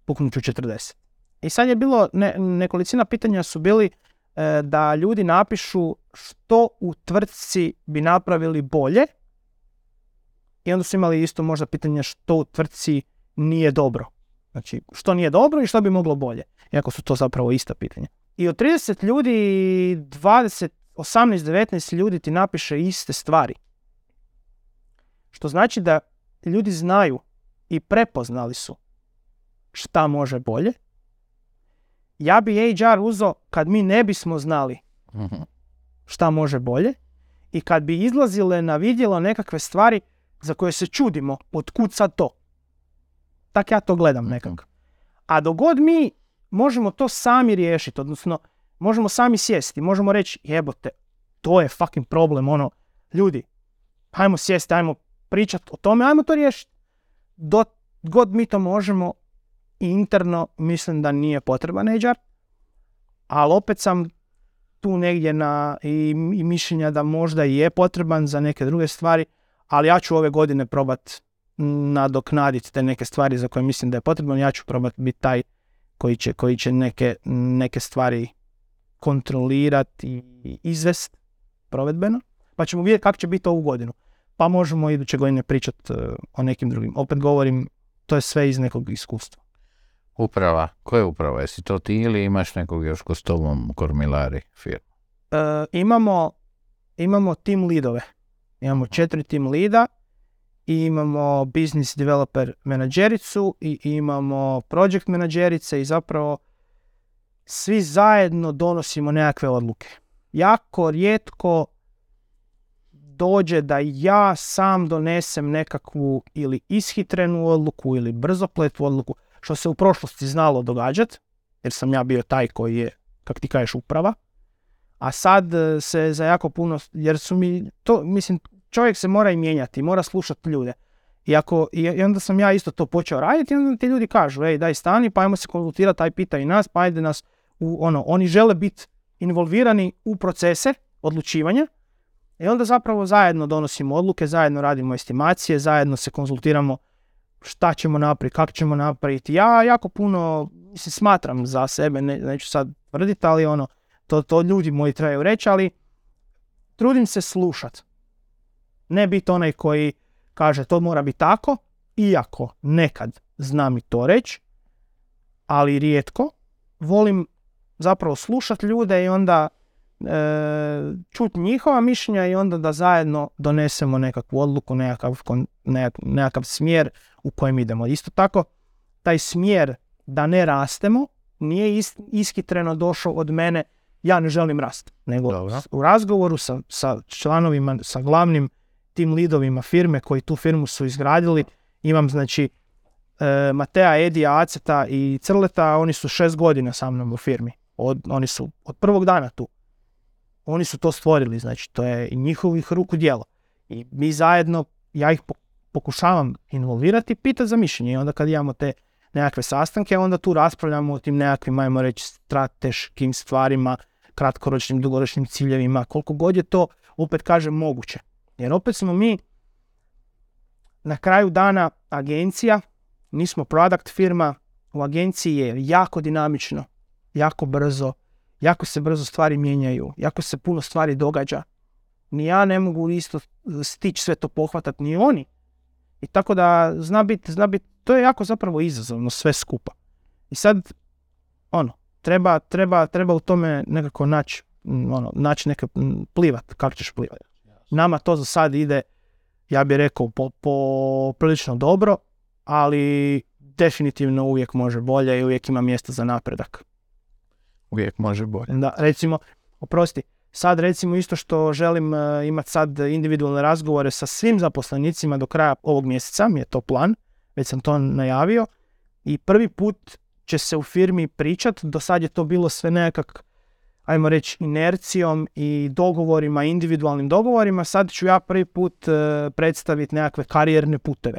S1: puknut ću četrdeset. I sad je bilo, ne, nekolicina pitanja su bili e, da ljudi napišu što u tvrtci bi napravili bolje, i onda su imali isto možda pitanje što u tvrtci nije dobro. Znači, što nije dobro i što bi moglo bolje, iako su to zapravo ista pitanja. I od trideset ljudi, dvadeset, osamnaest, devetnaest ljudi ti napiše iste stvari. Što znači da ljudi znaju i prepoznali su šta može bolje. Ja bi H R uzeo kad mi ne bismo znali šta može bolje i kad bi izlazile na vidjelo nekakve stvari za koje se čudimo, otkud sad to. Tak ja to gledam nekako. A dok god mi možemo to sami riješiti, odnosno možemo sami sjesti, možemo reći jebote, to je fucking problem, ono, ljudi, hajmo sjesti, hajmo pričati o tome, hajmo to riješiti. Dok god mi to možemo, interno mislim da nije potreban H R, ali opet sam tu negdje na i, i mišljenja da možda i je potreban za neke druge stvari, ali ja ću ove godine probat nadoknaditi te neke stvari za koje mislim da je potreban. Ja ću probat biti taj koji će, koji će neke, neke stvari kontrolirati i izvest provedbeno, pa ćemo vidjeti kako će biti ovu godinu. Pa možemo iduće godine pričati uh, o nekim drugim. Opet govorim, to je sve iz nekog iskustva.
S2: Uprava, koja je uprava? Jesi to ti ili imaš nekog još ko s tobom kormilari firmu?
S1: Uh, imamo, imamo team leadove. Imamo četiri team leada i imamo business developer menadžericu i imamo project menadžerice i zapravo svi zajedno donosimo nekakve odluke. Jako rijetko dođe da ja sam donesem nekakvu ili ishitrenu odluku ili brzopletu odluku, što se u prošlosti znalo događati, jer sam ja bio taj koji je, kak ti kažeš, uprava. A sad se za jako puno, jer su mi, to, mislim, čovjek se mora i mijenjati, mora slušati ljude. I, ako, i onda sam ja isto to počeo raditi i onda ti ljudi kažu, ej, daj stani, pa ajmo se konzultirati, taj pita i nas, pa ajde nas, u, ono, oni žele biti involvirani u procese odlučivanja i onda zapravo zajedno donosimo odluke, zajedno radimo estimacije, zajedno se konzultiramo šta ćemo napraviti, kako ćemo napraviti. Ja jako puno, mislim, smatram za sebe, ne, neću sad tvrditi, ali ono, to, to ljudi moji trebaju reći, ali trudim se slušat. Ne biti onaj koji kaže to mora biti tako, iako nekad znam i to reći, ali rijetko. Volim zapravo slušat ljude i onda e, čuti njihova mišljenja i onda da zajedno donesemo nekakvu odluku, nekakav, nekakav, nekakav smjer u kojem idemo. Isto tako, taj smjer da ne rastemo nije is, ishitreno došao od mene, ja ne želim rast, nego Dobro. U razgovoru sa, sa članovima, sa glavnim tim leadovima firme koji tu firmu su izgradili, imam znači e, Matea, Edija, Aceta i Crleta, oni su šest godina sa mnom u firmi. Od, oni su od prvog dana tu. Oni su to stvorili, znači to je njihovih ruku djelo. I mi zajedno, ja ih pokušavam involvirati i pitati za mišljenje. I onda kad imamo te nekakve sastanke, onda tu raspravljamo o tim nekakvim, ajmo reći, strateškim stvarima, kratkoročnim, dugoročnim ciljevima, koliko god je to, opet kažem, moguće. Jer opet smo mi na kraju dana agencija, nismo product firma, u agenciji je jako dinamično, jako brzo, jako se brzo stvari mijenjaju, jako se puno stvari događa. Ni ja ne mogu isto stići sve to pohvatati, ni oni. I tako da zna biti, zna bit, to je jako zapravo izazovno sve skupa. I sad, ono, treba, treba, treba u tome nekako naći, ono, naći neke plivat, kako ćeš plivati. Nama to za sad ide, ja bih rekao, po, po prilično dobro, ali definitivno uvijek može bolje i uvijek ima mjesta za napredak.
S2: Uvijek može bolje.
S1: Da, recimo, oprosti, sad recimo isto što želim uh, imati sad individualne razgovore sa svim zaposlenicima do kraja ovog mjeseca, mi je to plan, već sam to najavio i prvi put će se u firmi pričat, do sad je to bilo sve nekak, ajmo reći, inercijom i dogovorima, individualnim dogovorima, sad ću ja prvi put uh, predstaviti nekakve karijerne puteve.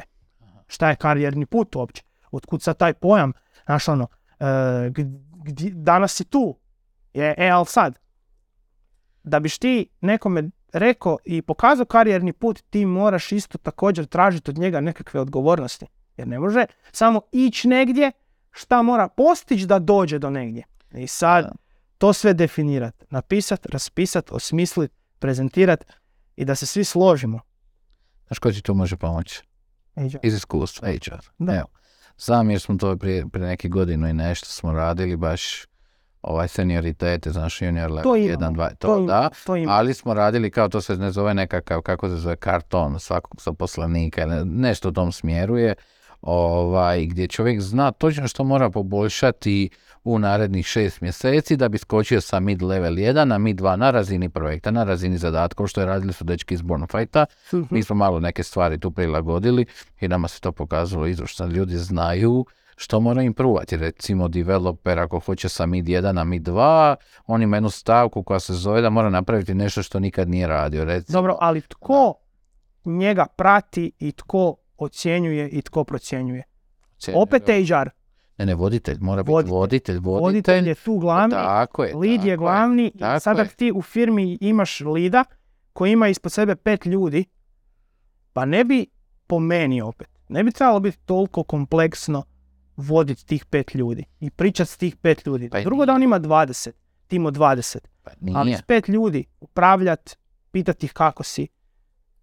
S1: Šta je karijerni put uopće? Otkud sad taj pojam? Znaš ono, uh, gdje, danas si tu, je, e, ali sad, da biš ti nekome rekao i pokazao karijerni put, ti moraš isto također tražiti od njega nekakve odgovornosti. Jer ne može samo ići negdje, šta mora postići da dođe do negdje. I sad to sve definirati, napisati, raspisati, osmisliti, prezentirati i da se svi složimo.
S2: Znaš ko ti tu može pomoći?
S1: H R.
S2: Iz iskustva, H R.
S1: Da.
S2: Evo, sam jer smo to prije, prije neke godinu i nešto smo radili, baš ovaj senioritete, znaš, junior level jedan, dva, to, to da,
S1: to
S2: ali smo radili kao to se ne zove nekakav, kako se zove, karton svakog zaposlenika, ne, nešto u tom smjeru je, ovaj, gdje čovjek zna točno što mora poboljšati u narednih šest mjeseci da bi skočio sa mid level jedan na mid dva na razini projekta, na razini zadatkov što je radili su dečki iz Bornfighta. Mm-hmm. Mi smo malo neke stvari tu prilagodili i nama se to pokazalo izvršno. Ljudi znaju što mora improvati. Recimo developer ako hoće sa mid jedan na mid dva, on ima jednu stavku koja se zove da mora napraviti nešto što nikad nije radio. Recimo.
S1: Dobro, ali tko da. njega prati i tko ocjenjuje i tko procjenjuje? Ocjenjuje. Opet H R.
S2: Ne, ne, voditelj, mora biti voditelj. Voditelj, voditelj.
S1: Voditelj je tu glavni,
S2: tako je,
S1: lead
S2: tako
S1: je glavni.
S2: Je,
S1: i sada ti u firmi imaš lida koji ima ispod sebe pet ljudi, pa ne bi, po meni opet, ne bi trebalo biti toliko kompleksno voditi tih pet ljudi i pričati s tih pet ljudi. Pa drugo nije. Da on ima dvadeset, tim od dvadeset.
S2: Pa
S1: ali s pet ljudi upravljati, pitati ih kako si,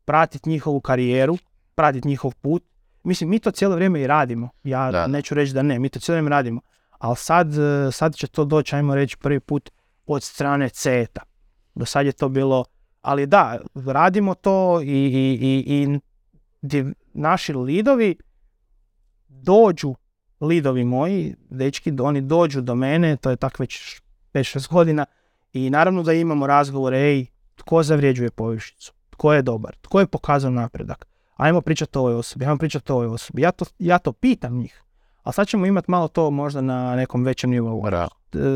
S1: pratiti njihovu karijeru, pratiti njihov put. Mislim, mi to cijelo vrijeme i radimo. Ja da. neću reći da ne, mi to cijelo vrijeme radimo. Ali sad, sad će to doći, ajmo reći, prvi put od strane C E T-a. Do sad je to bilo, ali da, radimo to i, i, i, i div, naši lidovi dođu, lidovi moji, dečki, oni dođu do mene, to je tako već pet šest godina i naravno da imamo razgovore, ej, tko zavrijeđuje povišicu, tko je dobar, tko je pokazao napredak. Ajmo pričati o ovoj osobi, ajmo pričati o ovoj osobi. Ja to, ja to pitam njih. Ali sad ćemo imati malo to možda na nekom većem nivou.
S2: Da.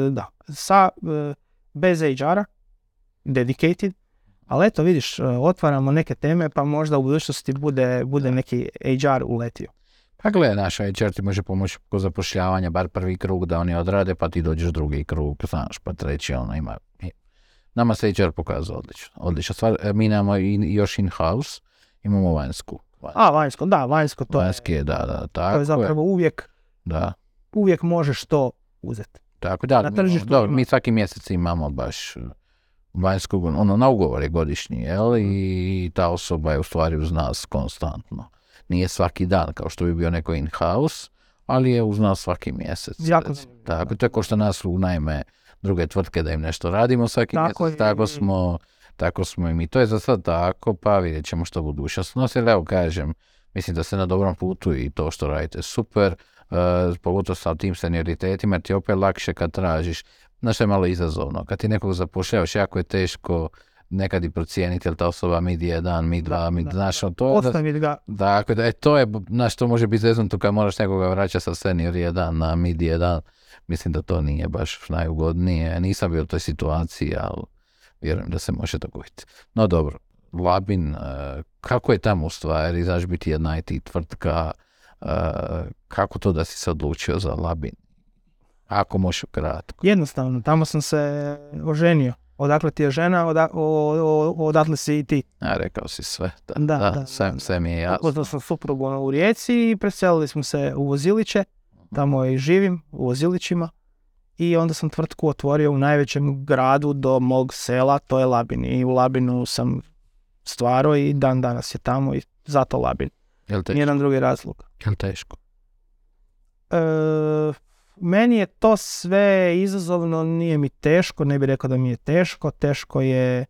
S1: Da. Sa, bez H R-a, dedicated, ali eto vidiš, otvaramo neke teme pa možda u budućnosti bude, bude neki H R uletio.
S2: Pa gledaj, naš H R ti može pomoći kod zapošljavanja, bar prvi krug da oni odrade, pa ti dođeš drugi krug, znaš, pa treći, ono ima. Nama se H R pokazao odlično. Odlično stvar, mi nemamo i, još in-house, imamo vanjsku. vanjsku.
S1: A, vanjsko, da, vanjsko to
S2: Vanjski je, da, da, tako
S1: to je zapravo
S2: je.
S1: uvijek,
S2: da.
S1: uvijek možeš to uzeti.
S2: Tako da,
S1: na tržištu
S2: mi, mi svaki mjesec imamo baš vanjskog, ono, na ugovor je godišnji, jel, i ta osoba je u stvari uz nas konstantno. Nije svaki dan, kao što bi bio neko in-house, ali je uz nas svaki mjesec.
S1: Jako.
S2: Tako, to je ko što nas unajme druge tvrtke da im nešto radimo svaki tako mjesec, je. tako smo... Tako smo i mi. To je za sad tako, pa vidjet ćemo što budućnost nosi. Evo kažem, mislim da ste na dobrom putu i to što radite super, uh, pogotovo sa tim senioritetima, ti je opet lakše kad tražiš. Znaš što je malo izazovno, kad ti nekog zapošljavaš, jako je teško nekad i procijeniti, jel ta osoba mid jedan, mid dva, mid, da, znaš,
S1: da,
S2: to je...
S1: Ostaviti ga.
S2: Dakle, da, e, to je, znaš, to može biti zeznuto kad moraš nekoga vraćati sa senior jedan na mid jedan. Mislim da to nije baš najugodnije. Nisam bio u toj situaciji, ali vjerujem da se može dogoditi. No dobro, Labin, kako je tamo u stvari, znaš, biti jedna I T tvrtka, kako to da si se odlučio za Labin? Ako možeš kratko.
S1: Jednostavno, tamo sam se oženio. Odakle ti je žena, oda, o, o, odatle si i ti.
S2: A, rekao si sve. Da,
S1: da,
S2: da,
S1: da,
S2: sve,
S1: da.
S2: sve mi je jasno.
S1: Upoznao sam suprugu u Rijeci i preselili smo se u Voziliće. Tamo i živim, u Vozilićima. I onda sam tvrtku otvorio u najvećem gradu do mog sela, to je Labin. I u Labinu sam stvarao i dan danas je tamo i zato Labin. Nijedan drugi razlog.
S2: Je li teško?
S1: E, meni je to sve izazovno, nije mi teško, ne bih rekao da mi je teško. Teško je,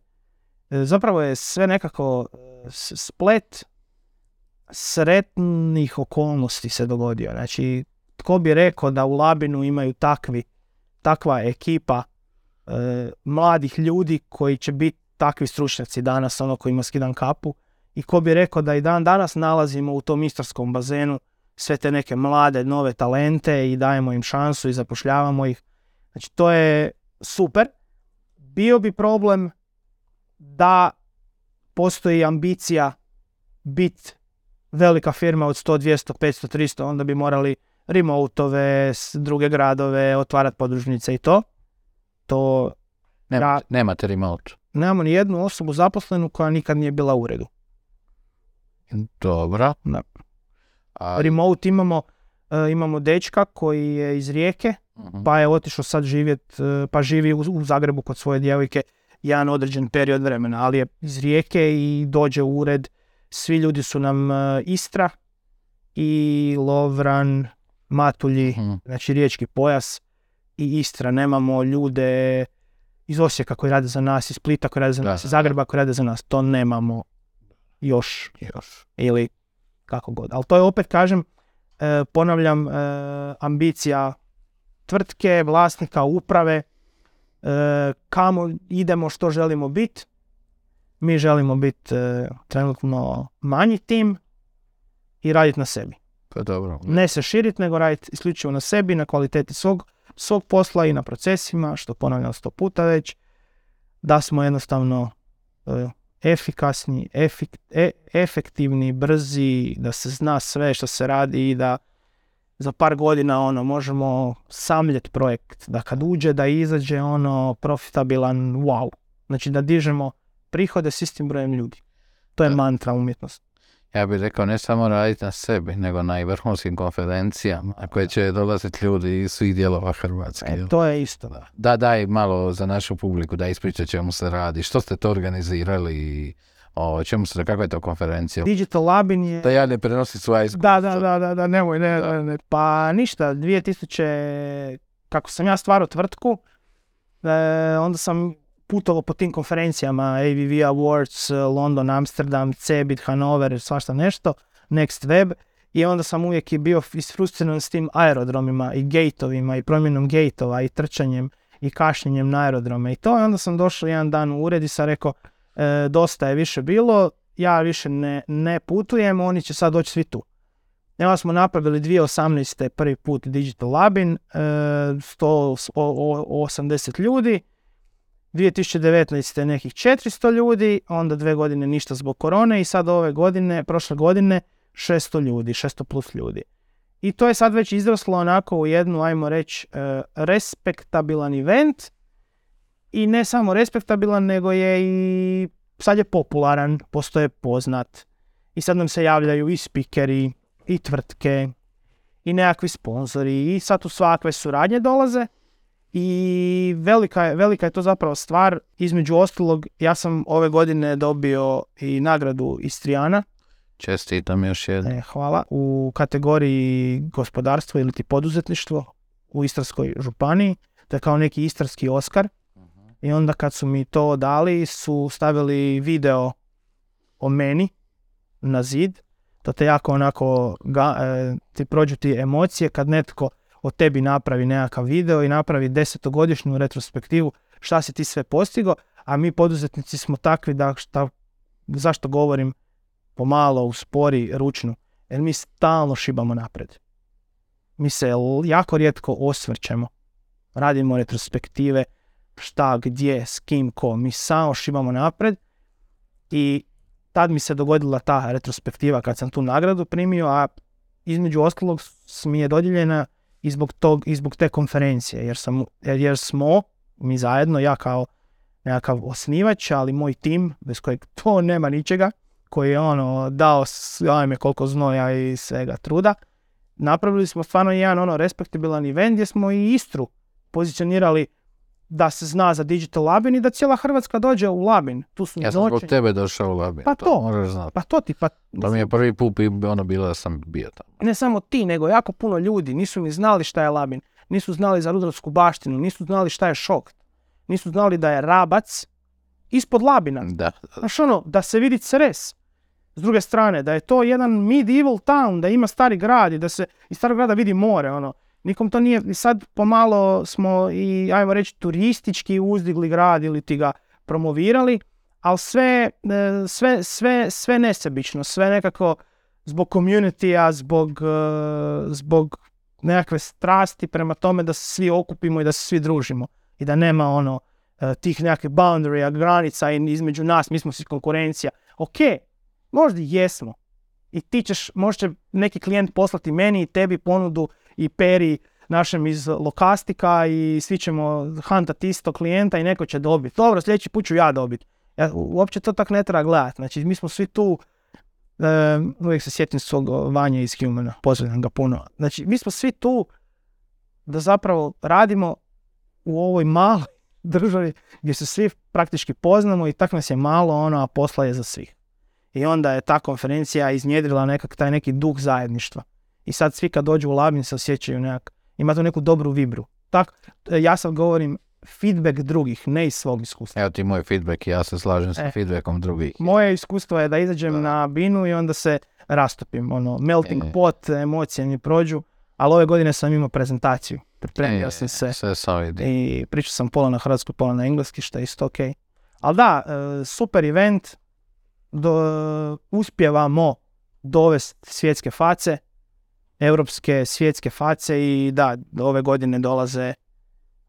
S1: zapravo je sve nekako splet sretnih okolnosti se dogodio. Znači, tko bi rekao da u Labinu imaju takvi takva ekipa e, mladih ljudi koji će biti takvi stručnjaci danas, ono kojima skidam kapu, i ko bi rekao da i dan danas nalazimo u tom istarskom bazenu sve te neke mlade, nove talente i dajemo im šansu i zapošljavamo ih. Znači, to je super. bio bi problem da postoji ambicija biti velika firma od sto, dvjesto, petsto, tristo, onda bi morali remote-ove, druge gradove, otvarati podružnice i to. To
S2: Nema,
S1: ja,
S2: nemate remote.
S1: nemamo ni jednu osobu zaposlenu koja nikad nije bila u uredu.
S2: Dobro.
S1: Da.
S2: A,
S1: Remote imamo, uh, imamo dečka koji je iz Rijeke,
S2: uh-huh.
S1: pa je otišao sad živjet, uh, pa živi u, u Zagrebu kod svoje djevojke jedan određen period vremena, ali je iz Rijeke i dođe u ured. Svi ljudi su nam uh, Istra i Lovran, Matulji,
S2: uh-huh.
S1: znači riječki pojas i Istra. Nemamo ljude iz Osijeka koji rade za nas, iz Splita koji rade za
S2: da,
S1: nas, iz Zagreba koji rade za nas. To nemamo još. još. Ili kako god. Ali to je opet, kažem, e, ponavljam, e, ambicija tvrtke, vlasnika, uprave, e, kamo idemo, što želimo biti. Mi želimo biti e, trenutno manji tim i raditi na sebi.
S2: Pa dobro.
S1: Ne se širiti, nego raditi isključivo na sebi, na kvaliteti svog, svog posla i na procesima, što ponavljam sto puta već, da smo jednostavno e, efikasni, efik, e, efektivni, brzi, da se zna sve što se radi i da za par godina ono možemo samljeti projekt, da kad uđe da izađe ono profitabilan, wow. Znači da dižemo prihode s istim brojem ljudi. To je da. Mantra umjetnosti.
S2: Ja bih rekao ne samo raditi na sebi, nego na i vrhunskim konferencijama, na koje će dolaziti ljudi iz svih dijelova Hrvatske.
S1: E, to je isto, da.
S2: Da, daj malo za našu publiku, da ispriča čemu se radi, što ste to organizirali i o čemu se, kakva je to konferencija?
S1: Digital Labin je...
S2: Da ja ne prenosi svoja iskustva.
S1: Da, da, da, da, da, nemoj, ne, da. ne. Pa ništa, dvije tisuće, kako sam ja stvarao tvrtku, e, onda sam putovao po tim konferencijama, A V V Awards, London, Amsterdam, Cebit, Hanover, svašta nešto, Next Web, i onda sam uvijek i bio isfrustriran s tim aerodromima i gateovima i promjenom gateova i trčanjem i kašnjenjem na aerodrome i to. I onda sam došao jedan dan u ured i sam rekao, e, dosta je više bilo, ja više ne, ne putujem, oni će sad doći svi tu. I onda smo napravili dvije tisuće osamnaeste. prvi put Digital Labin, e, sto osamdeset ljudi, dvije tisuće devetnaeste. nekih četiristo ljudi, onda dve godine ništa zbog korone i sad ove godine, prošle godine, šesto ljudi, šesto plus ljudi. I to je sad već izraslo onako u jednu, ajmo reći, e, respektabilan event. I ne samo respektabilan, nego je i sad je popularan, postoje poznat. I sad nam se javljaju i spikeri, i tvrtke, i nekakvi sponzori, i sad tu svakve suradnje dolaze. I velika je, velika je to zapravo stvar. Između ostalog, ja sam ove godine dobio i nagradu Istrijana.
S2: Čestitam još jedno.
S1: E, hvala. U kategoriji gospodarstvo ili ti poduzetništvo u Istarskoj županiji. To je kao neki istarski Oskar. Uh-huh. I onda kad su mi to dali, su stavili video o meni na zid. To te jako onako, ga, e, ti prođu ti emocije kad netko o tebi napravi nekakav video i napravi desetogodišnju retrospektivu šta si ti sve postigao, a mi poduzetnici smo takvi da, šta, zašto govorim pomalo, uspori, ručno, jer mi stalno šibamo napred. Mi se jako rijetko osvrćemo, radimo retrospektive, šta, gdje, s kim, ko, mi samo šibamo napred i tad mi se dogodila ta retrospektiva kad sam tu nagradu primio, a između ostalog mi je dodijeljena i zbog, tog, i zbog te konferencije, jer, sam, jer, jer smo mi zajedno, ja kao nekakav osnivač, ali moj tim, bez kojeg to nema ničega, koji je ono dao ajme koliko znoja i svega truda, napravili smo stvarno jedan ono respektabilan event gdje smo i Istru pozicionirali da se zna za Digital Labin i da cijela Hrvatska dođe u Labin. Tu su
S2: ja sam zbog tebe došao u Labin.
S1: Pa to,
S2: to moraš znati.
S1: Pa to ti, pa...
S2: Da mi je prvi put ono bilo da sam bio tamo.
S1: Ne samo ti, nego jako puno ljudi nisu ni znali šta je Labin. Nisu znali za rudarsku baštinu, nisu znali šta je Šokt. Nisu znali da je Rabac ispod Labina.
S2: Da.
S1: Znaš ono, da se vidi Cres. S druge strane, da je to jedan medieval town, da ima stari grad i da se iz starog grada vidi more, ono. Nikom to nije, i sad pomalo smo i, ajmo reći, turistički uzdigli grad ili ti ga promovirali, ali sve, sve, sve, sve nesebično, sve nekako zbog community-a, zbog, zbog nekakve strasti prema tome da se svi okupimo i da se svi družimo i da nema ono uh, tih nekakvih boundarya, granica između nas, mi smo svi konkurencija. Ok, možda jesmo. I ti ćeš, možda neki klijent poslati meni i tebi ponudu i Peri našem iz Lokastika i svi ćemo huntati isto klijenta i neko će dobiti. Dobro, sljedeći put ću ja dobiti. Ja, uopće to tak ne treba gledati. Znači, mi smo svi tu, um, uvijek se sjetim svog Vanja iz Humana, pozdravljam ga puno. Znači, mi smo svi tu da zapravo radimo u ovoj maloj državi gdje se svi praktički poznamo i tak nas je malo, ono, a posla je za svih. I onda je ta konferencija iznjedrila nekak taj neki duh zajedništva. I sad svi kad dođu u Labin se osjećaju nekak, ima tu neku dobru vibru. Tak, ja sad govorim feedback drugih, ne iz svog iskustva.
S2: Evo ti moj feedback, ja se slažem sa e, feedbackom drugih.
S1: Moje iskustvo je da izađem da. na binu i onda se rastopim, ono, melting e. pot, emocije mi prođu, ali ove godine sam imao prezentaciju. Pripremio e, sam se i pričao sam pola na hrvatski, pola na engleski, što je isto ok. Ali da, super event, do, uspjevamo dovesti svjetske face, europske svjetske face i da, ove godine dolaze,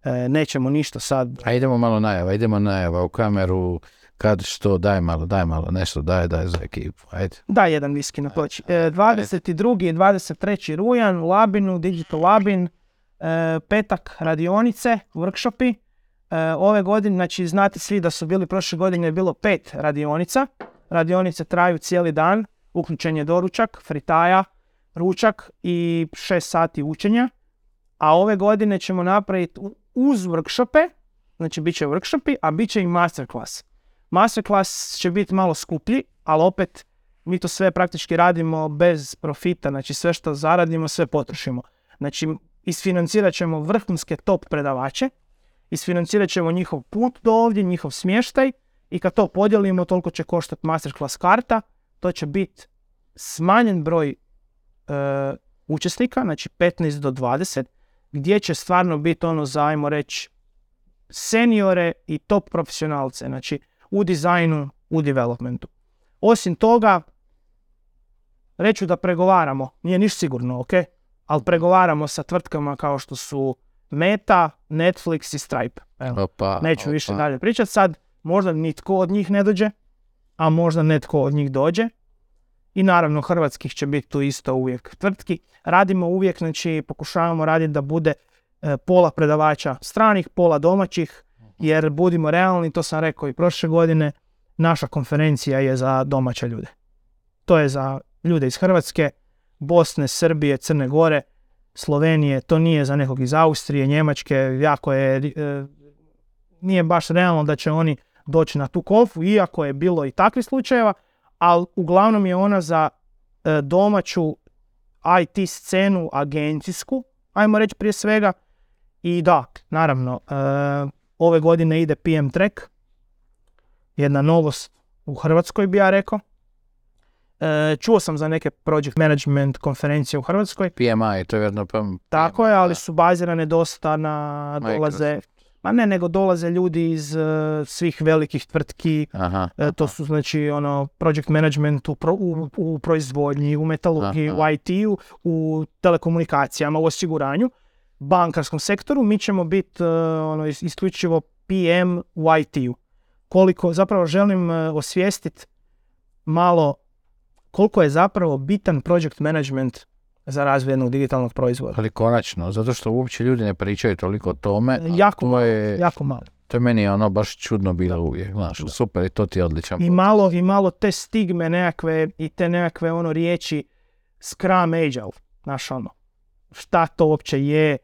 S1: e, nećemo ništa sad.
S2: A idemo malo najava, idemo najava u kameru, kad što, daj malo, daj malo, nešto, daj, daj za ekipu, ajde.
S1: Daj jedan viski na ploči. E, dvadeset drugi i dvadeset treći rujan u Labinu, Digital Labin, e, petak radionice, workshopi. E, ove godine, znači znate svi da su bili prošle godine je bilo pet radionica. Radionice traju cijeli dan, uključen je doručak, fritaja, ručak i šest sati učenja. A ove godine ćemo napraviti uz workshope, znači bit će workshopi, a bit će i masterclass. Masterclass će biti malo skuplji, ali opet mi to sve praktički radimo bez profita, znači sve što zaradimo, sve potrošimo. Znači isfinancirat ćemo vrhunske top predavače, isfinancirat ćemo njihov put do ovdje, njihov smještaj i kad to podijelimo, toliko će koštati masterclass karta, to će biti smanjen broj uh, učesnika, znači petnaest do dvadeset, gdje će stvarno biti ono za, ajmo reći, seniore i top profesionalce, znači u dizajnu, u developmentu. Osim toga, reću da pregovaramo, nije niš sigurno, ok? Ali pregovaramo sa tvrtkama kao što su Meta, Netflix i Stripe. Evo, opa, neću opa. više dalje pričati sad, možda nitko od njih ne dođe, a možda netko od njih dođe. I naravno hrvatskih će biti tu isto uvijek tvrtki. Radimo uvijek, znači pokušavamo raditi da bude e, pola predavača stranih, pola domaćih, jer budimo realni, to sam rekao i prošle godine, naša konferencija je za domaće ljude. To je za ljude iz Hrvatske, Bosne, Srbije, Crne Gore, Slovenije, to nije za nekog iz Austrije, Njemačke, jako je, e, nije baš realno da će oni doći na tu konfu, iako je bilo i takvih slučajeva, ali uglavnom je ona za e, domaću I T scenu agencijsku, ajmo reći prije svega. I da, naravno, e, ove godine ide P M Track, jedna novost u Hrvatskoj bi ja rekao. E, čuo sam za neke project management konferencije u Hrvatskoj.
S2: P M I, to je vjerno P M I.
S1: Tako je, ali su bazirane dosta na dolaze... Ma ne, nego dolaze ljudi iz uh, svih velikih tvrtki, aha, aha. to su znači ono project management u, pro, u, u proizvodnji, u metalurgiji, aha. u I T-u, u telekomunikacijama, u osiguranju, bankarskom sektoru. Mi ćemo biti uh, ono, isključivo P M u I T-u. Koliko zapravo želim uh, osvijestiti malo koliko je zapravo bitan project management za razvoj jednog digitalnog proizvoda.
S2: Ali konačno, zato što uopće ljudi ne pričaju toliko o tome.
S1: Jako malo,
S2: je,
S1: jako malo.
S2: To je meni ono baš čudno bilo uvijek, znaš, super i to ti je odličan.
S1: I malo, i malo te stigme nekakve i te nekakve ono riječi Scrum Agile, znaš ono, šta to uopće je,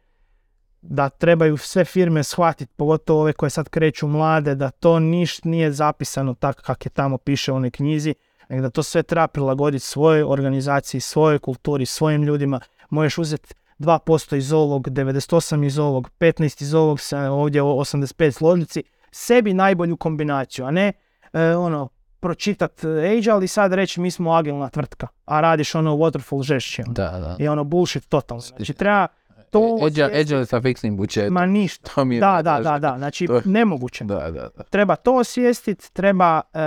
S1: da trebaju sve firme shvatiti, pogotovo ove koje sad kreću mlade, da to niš nije zapisano tako kako je tamo piše u onoj knjizi, nego da to sve treba prilagoditi svojoj organizaciji, svojoj kulturi, svojim ljudima. Možeš uzeti dva posto iz ovog, devedeset osam iz ovog, petnaest iz ovog, ovdje osamdeset pet složnici, sebi najbolju kombinaciju, a ne e, ono, pročitat Agile i sad reći mi smo agilna tvrtka, a radiš ono waterfall žešće. Ono.
S2: Da, da.
S1: I ono bullshit totalno. Znači treba to...
S2: Agile, agile sa fiksnim budžetom.
S1: Ma ništa. Da, da, da, da. Znači to... nemoguće.
S2: Da, da, da.
S1: Treba to osvijestiti, treba e,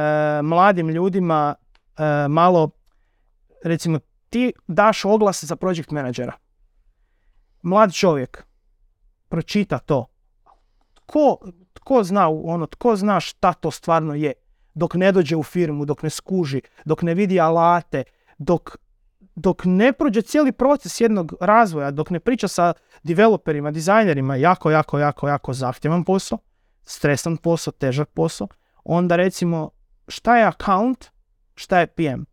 S1: mladim ljudima e, malo, recimo ti daš oglas za project menadžera. Mlad čovjek pročita to. Ko, tko zna, ono, tko zna šta to stvarno je. Dok ne dođe u firmu, dok ne skuži, dok ne vidi alate, dok, dok ne prođe cijeli proces jednog razvoja, dok ne priča sa developerima, dizajnerima, jako, jako, jako, jako zahtjevan posao, stresan posao, težak posao, onda recimo šta je account, šta je P M.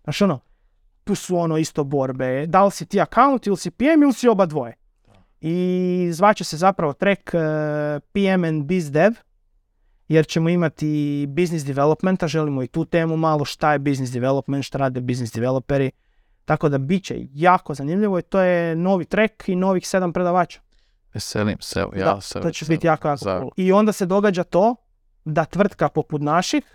S1: Znaš ono, tu su ono isto borbe, da li si ti account ili si P M ili si oba dvoje. I zvaće se zapravo track uh, P M and Biz Dev, jer ćemo imati business developmenta, želimo i tu temu malo, šta je business development, šta rade business developeri, tako da bit će jako zanimljivo i to je novi track i novih sedam predavača.
S2: Veselim se, ja
S1: da,
S2: se
S1: to će
S2: veselim.
S1: biti jako, jako
S2: Za...
S1: cool. I onda se događa to da tvrtka poput naših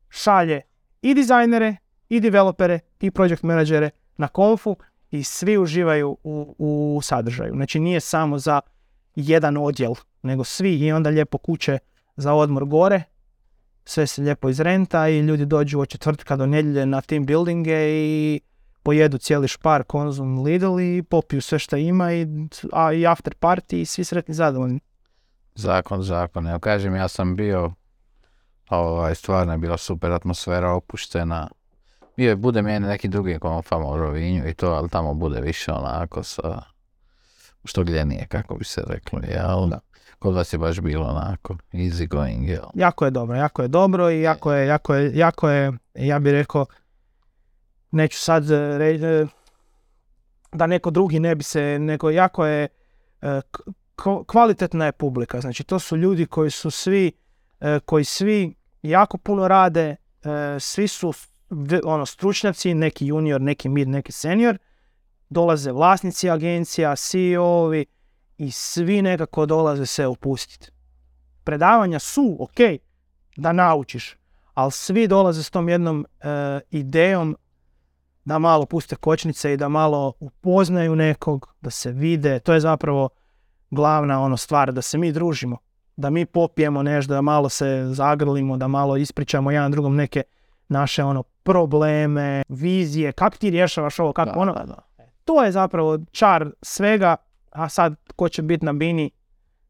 S1: šalje i dizajnere, i developere, i project menadžere na konfu i svi uživaju u, u sadržaju. Znači nije samo za jedan odjel, nego svi i onda lijepo kuće za odmor gore, sve se lijepo izrenta i ljudi dođu od četvrtka do nedjelje na team buildinge i pojedu cijeli špar, Konzum, Lidl i popiju sve što ima i, a, i after party i svi sretni zadovoljni.
S2: Zakon, zakon. Evo kažem, ja sam bio, ovaj, stvarno je bila super atmosfera, opuštena. Bio je, bude meni neki drugi konfama u Rovinju i to, ali tamo bude više onako sa, što gljenije, kako bi se reklo, jel? Da. Kod vas je baš bilo onako easy going, jel?
S1: Jako je dobro, jako je dobro i jako je, jako je, jako je, ja bih rekao, neću sad reći da neko drugi ne bi se, nego jako je k- kvalitetna je publika. Znači to su ljudi koji su svi, koji svi jako puno rade, svi su ono stručnjaci, neki junior, neki mid, neki senior, dolaze vlasnici agencija, C E O-ovi i svi nekako dolaze se upustiti. Predavanja su ok da naučiš, ali svi dolaze s tom jednom uh, idejom da malo puste kočnice i da malo upoznaju nekog, da se vide. To je zapravo glavna ono stvar, da se mi družimo, da mi popijemo nešto, da malo se zagrlimo, da malo ispričamo jedan drugom neke naše ono probleme, vizije, kako ti rješavaš ovo, kako
S2: da,
S1: ono.
S2: Da, da.
S1: To je zapravo čar svega, a sad ko će biti na bini,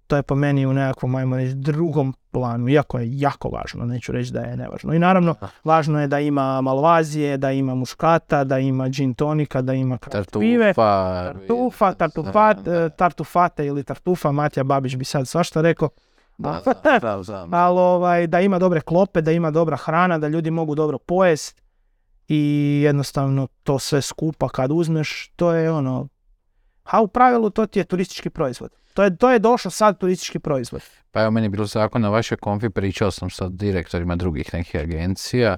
S1: to je po meni u nekakvom, ajmo reći, drugom planu, iako je jako važno, neću reći da je nevažno. I naravno, važno je da ima malvazije, da ima muškata, da ima gin tonika, da ima pive, tartufa, tartufat, tartufate ili tartufa, Matija Babić bi sad svašta rekao.
S2: Da, da, da, da.
S1: Ali ovaj, da ima dobre klope, da ima dobra hrana, da ljudi mogu dobro pojest i jednostavno to sve skupa kad uzmeš, to je ono, a u pravilu to ti je turistički proizvod. To je, to je došao sad turistički proizvod.
S2: Pa evo meni bilo zakon na vašoj konfi, pričao sam sa direktorima drugih nekih agencija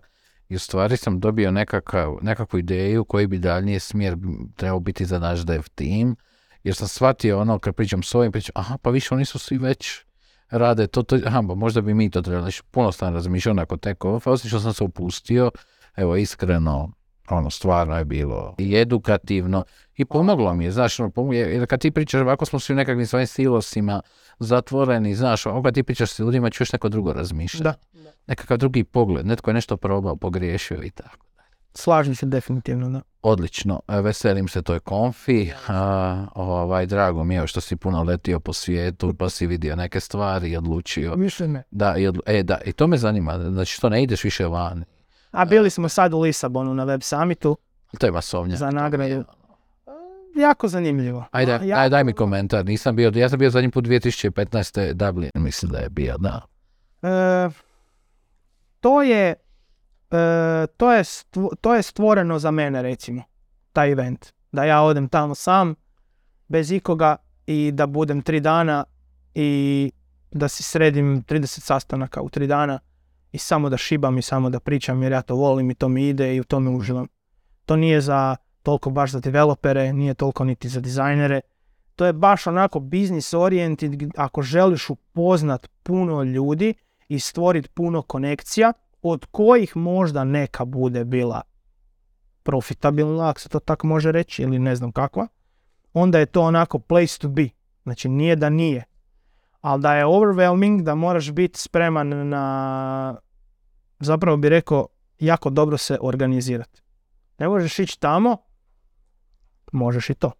S2: i u stvari sam dobio nekakav, nekakvu ideju koji bi daljniji smjer trebao biti za naš dev team, jer sam shvatio ono kad pričam s ovim, pričam, aha pa više oni su svi već rade to, to aha, pa možda bi mi to trebali, puno sam razmišljao nakon te konfe, osim što sam se upustio, evo iskreno, ono stvarno je bilo i edukativno i pomoglo mi je, znaš, ono, pomoglo, jer kad ti pričaš, ovako smo svi u nekakvim svojim silosima zatvoreni, znaš, ovako kad ti pričaš s ljudima ćeš neko drugo razmišljati,
S1: da.
S2: nekakav drugi pogled, netko je nešto probao, pogriješio i tako.
S1: Slažem se definitivno, da.
S2: Odlično, veselim se toj konfi, a, ovaj, drago mi je što si puno letio po svijetu, pa si vidio neke stvari i odlučio.
S1: Više ne.
S2: Da, i, odlu- e, da, i to me zanima, znači što ne ideš više van.
S1: A bili smo sad u Lisabonu na Web Summitu.
S2: To je masovnja.
S1: Za nagradu. Jako zanimljivo.
S2: Ajde,
S1: ja...
S2: aj, daj mi komentar, nisam bio, ja sam bio zadnji put dvije tisuće petnaeste. Dublin, mislim da je bio, da.
S1: E, to je e, to je, stvo, to je stvoreno za mene, recimo, taj event. Da ja odem tamo sam, bez ikoga i da budem tri dana i da si sredim trideset sastanaka u tri dana i samo da šibam i samo da pričam jer ja to volim i to mi ide i u tome uživam. To nije za toliko baš za developere, nije toliko niti za dizajnere. To je baš onako business oriented, ako želiš upoznat puno ljudi i stvoriti puno konekcija, od kojih možda neka bude bila profitabilna, ako se to tako može reći, ili ne znam kakva, onda je to onako place to be. Znači nije da nije, ali da je overwhelming, da moraš biti spreman na, zapravo bi rekao, jako dobro se organizirati. Ne možeš ići tamo, možeš i to.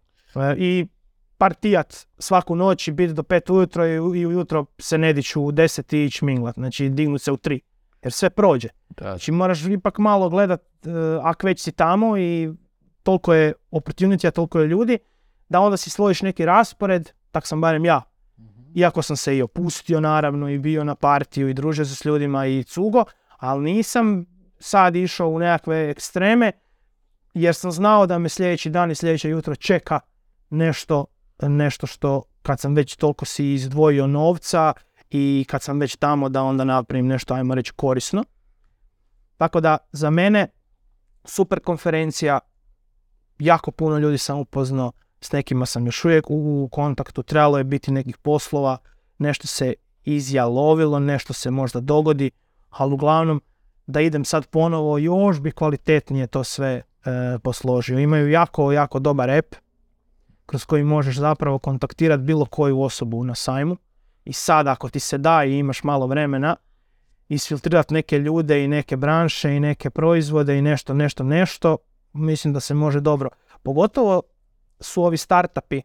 S1: I partijat svaku noć i biti do pet ujutro i, i ujutro se ne diću u deset i ići minglat, znači dignut se u tri, jer sve prođe.
S2: Da.
S1: Znači moraš ipak malo gledat, uh, ako već si tamo i toliko je opportunity, toliko je ljudi, da onda si slojiš neki raspored, tak sam barem ja. Mm-hmm. Iako sam se i opustio naravno i bio na partiju i družio se s ljudima i cugo, ali nisam sad išao u nekakve ekstreme, jer sam znao da me sljedeći dan i sljedeće jutro čeka nešto, nešto što kad sam već toliko si izdvojio novca i kad sam već tamo da onda napravim nešto, ajmo reći, korisno. Tako da za mene super konferencija, jako puno ljudi sam upoznao, s nekima sam još uvijek u kontaktu, trebalo je biti nekih poslova, nešto se izjalovilo, nešto se možda dogodi, ali uglavnom da idem sad ponovo, još bi kvalitetnije to sve e, posložio. Imaju jako, jako dobar app kroz koji možeš zapravo kontaktirati bilo koju osobu na sajmu i sad ako ti se da i imaš malo vremena, isfiltrirati neke ljude i neke branše i neke proizvode i nešto, nešto, nešto, mislim da se može dobro. Pogotovo su ovi startupi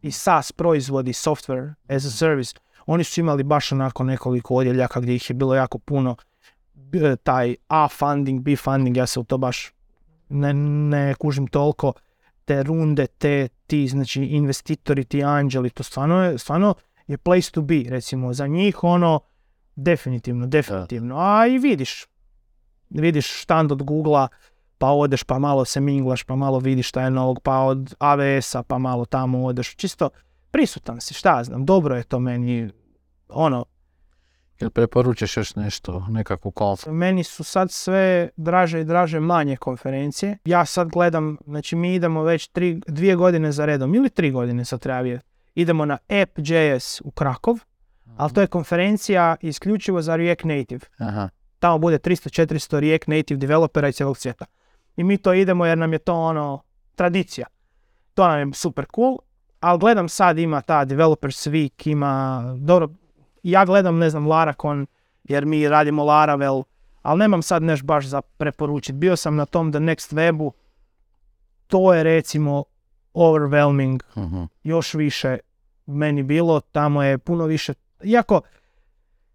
S1: i SaaS proizvodi, software as a service, oni su imali baš onako nekoliko odjeljaka gdje ih je bilo jako puno, taj A funding, B funding, ja se u to baš ne, ne kužim toliko, te runde, te ti, znači investitori, ti anđeli, to stvarno je, stvarno je place to be, recimo, za njih ono, definitivno, definitivno, a i vidiš, vidiš štand od Googlea, pa odeš, pa malo se minglaš, pa malo vidiš šta je novog, pa od A W S-a, pa malo tamo odeš, čisto prisutan si, šta znam, dobro je to meni, ono.
S2: Jel preporučaš još nešto, nekakvu konferenciju?
S1: Meni su sad sve draže i draže manje konferencije. Ja sad gledam, znači mi idemo već tri, dvije godine za redom, ili tri godine sad treba vidjeti. Idemo na App dot J S u Krakov, uh-huh. ali to je konferencija isključivo za React Native.
S2: Aha.
S1: Tamo bude tristo četiristo React Native developera iz cijelog svijeta. I mi to idemo jer nam je to ono tradicija. To nam je super cool, ali gledam sad ima ta Developers Week, ima dobro, ja gledam, ne znam, Laracon, jer mi radimo Laravel, ali nemam sad nešto baš za preporučiti. Bio sam na tom The Next Webu, to je recimo overwhelming, uh-huh. još više meni bilo, tamo je puno više, iako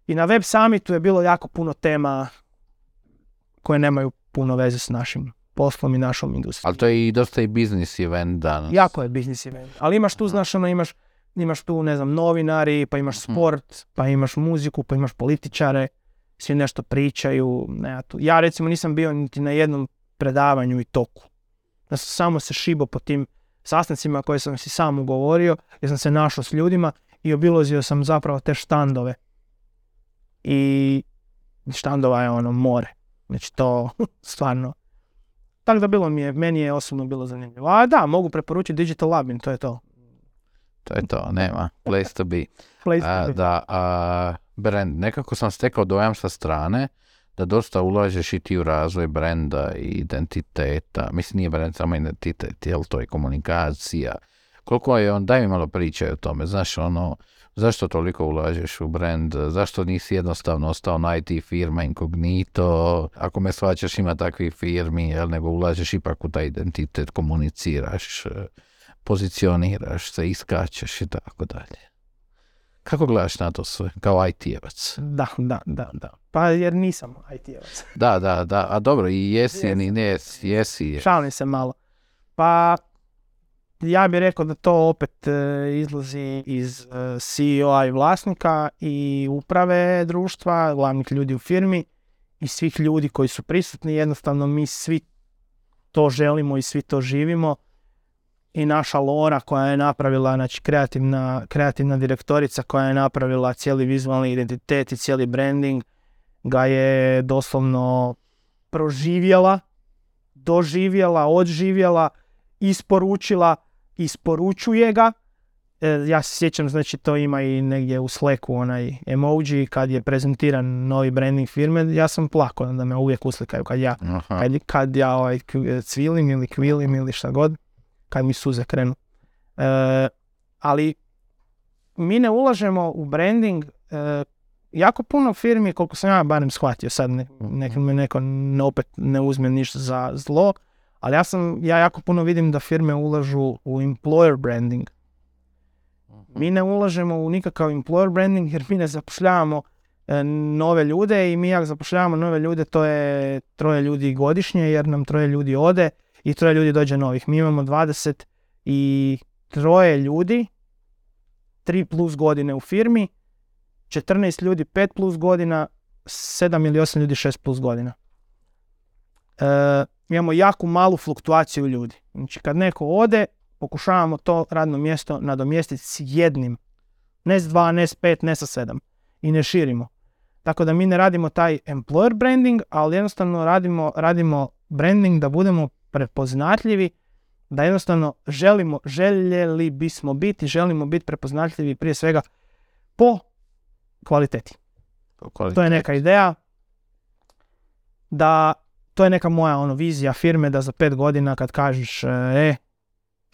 S1: i na Web Summitu je bilo jako puno tema koje nemaju puno veze s našim poslom i našom industrijom.
S2: Ali to je i dosta i business event danas.
S1: Jako je business event, ali imaš tu, znaš, ono, imaš imaš tu, ne znam, novinari, pa imaš sport, pa imaš muziku, pa imaš političare, svi nešto pričaju. Ne, tu. Ja recimo nisam bio niti na jednom predavanju i toku. Ja sam samo se šibao po tim sastancima koje sam si sam ugovorio, jer sam se našao s ljudima i obilazio sam zapravo te štandove. I štandova je ono more. Znači to stvarno. Tako da bilo mi je, meni je osobno bilo zanimljivo. A da, mogu preporučiti Digital Labin, to je to.
S2: To je to, nema. Place to be.
S1: Place to
S2: a,
S1: be.
S2: Da, a, brand, nekako sam stekao dojam sa strane da dosta ulažeš i ti u razvoj brenda i identiteta. Mislim, nije brand samo identitet, jel to je komunikacija. Koliko je on, daj mi malo priče o tome, znaš, ono, zašto toliko ulažeš u brand, zašto nisi jednostavno ostao na I T firma inkognito, ako me shvaćaš ima takvih firmi, jel, nego ulažeš ipak u taj identitet, komuniciraš, pozicioniraš se, iskačeš i tako dalje. Kako gledaš na to sve, kao I T-evac?
S1: Da, da, da, da. Pa jer nisam I T-evac.
S2: Da, da, da, a dobro, i jesi, ni ne jesi, jesi.
S1: Šalim se malo. Pa, ja bih rekao da to opet e, izlazi iz e, C E O-a i vlasnika i uprave društva, glavnih ljudi u firmi i svih ljudi koji su prisutni. Jednostavno mi svi to želimo i svi to živimo. I naša Lora koja je napravila, znači kreativna, kreativna direktorica koja je napravila cijeli vizualni identitet i cijeli branding, ga je doslovno proživjela, doživjela, odživjela, isporučila, isporučuje ga. E, ja se sjećam, znači to ima i negdje u Slacku onaj emoji kad je prezentiran novi branding firme, ja sam plakao da me uvijek uslikaju kad ja, kad, kad ja ovaj, cvilim ili kvilim ili šta god. Kad mi suze krenu. E, ali mi ne ulažemo u branding. E, jako puno firmi, koliko sam ja barem shvatio, sad ne, nek me neko ne, opet ne uzme ništa za zlo, ali ja sam, ja jako puno vidim da firme ulažu u employer branding. Mi ne ulažemo u nikakav employer branding jer mi ne zapošljavamo e, nove ljude i mi ako zapošljavamo nove ljude to je troje ljudi godišnje jer nam troje ljudi ode i troje ljudi dođe novih. Mi imamo dvadeset i troje ljudi, tri plus godine u firmi, četrnaest ljudi pet plus godina, sedam ili osam ljudi šest plus godina. E, imamo jako malu fluktuaciju ljudi. Znači kad neko ode, pokušavamo to radno mjesto nadomjestiti s jednim. Ne s dva, ne s pet, ne sa sedam. I ne širimo. Tako da mi ne radimo taj employer branding, ali jednostavno radimo, radimo branding da budemo prepoznatljivi, da jednostavno želimo, željeli bismo biti, želimo biti prepoznatljivi prije svega po kvaliteti.
S2: Po kvaliteti.
S1: To je neka ideja da, to je neka moja ono, vizija firme da za pet godina kad kažeš e,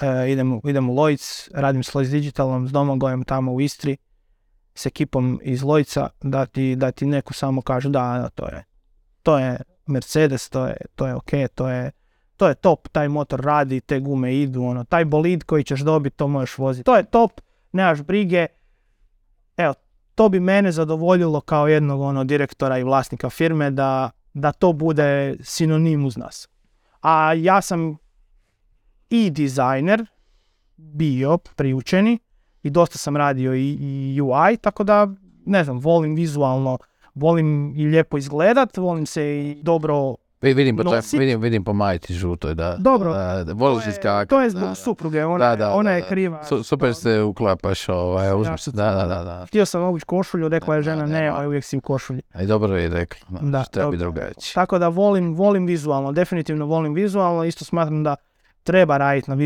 S1: e idem, idem u Lloyds, radim s Lloyds Digitalom, s Domagojem tamo u Istri, s ekipom iz Lloydsa, da ti, da ti neko samo kaže da, to je, to je Mercedes, to je, to je ok, to je to je top, taj motor radi, te gume idu, ono, taj bolid koji ćeš dobiti, to možeš voziti. To je top, nemaš brige. Evo, to bi mene zadovoljilo kao jednog ono, direktora i vlasnika firme da, da to bude sinonim uz nas. A ja sam i dizajner bio priučeni i dosta sam radio i, i U I, tako da, ne znam, volim vizualno, volim i lijepo izgledat, volim se i dobro
S2: Vidim po, toj, vidim, vidim po majici žutoj, da.
S1: Dobro,
S2: da, da, voliš iskakati.
S1: To je zbog da, supruge, ona, da, da, ona je kriva.
S2: Su, super se uklapaš, ovaj, uzmi se, da, da, da, da.
S1: Htio sam obući košulju, rekla je žena, ne, ovaj, uvijek si u košulji.
S2: A i dobro je rekla, da,
S1: da
S2: treba biti drugačije.
S1: Tako da volim, volim vizualno, definitivno volim vizualno, isto smatram da treba raditi na,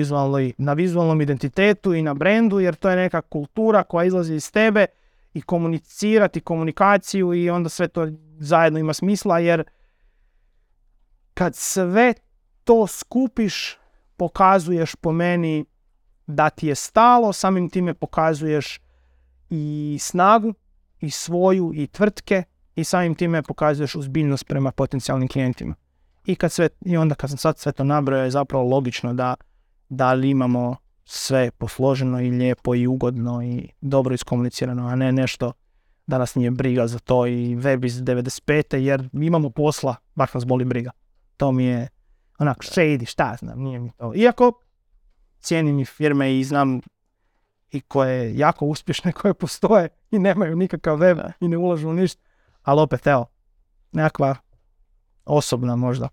S1: na vizualnom identitetu i na brendu, jer to je neka kultura koja izlazi iz tebe i komunicirati komunikaciju i onda sve to zajedno ima smisla, jer kad sve to skupiš, pokazuješ po meni da ti je stalo, samim time pokazuješ i snagu, i svoju, i tvrtke, i samim time pokazuješ uzbiljnost prema potencijalnim klijentima. I, kad sve, i onda kad sam sad sve to nabrojao, je zapravo logično da, da li imamo sve posloženo i lijepo i ugodno i dobro iskomunicirano, a ne nešto da nas nije briga za to i web iz devedeset pete jer imamo posla, baš nas boli briga. To mi je onak shady, šta znam, nije mi to. Iako cijenim i firme i znam i koje jako uspješne, koje postoje i nemaju nikakav web i ne ulažu u ništa, ali opet evo, nekakva osobna možda.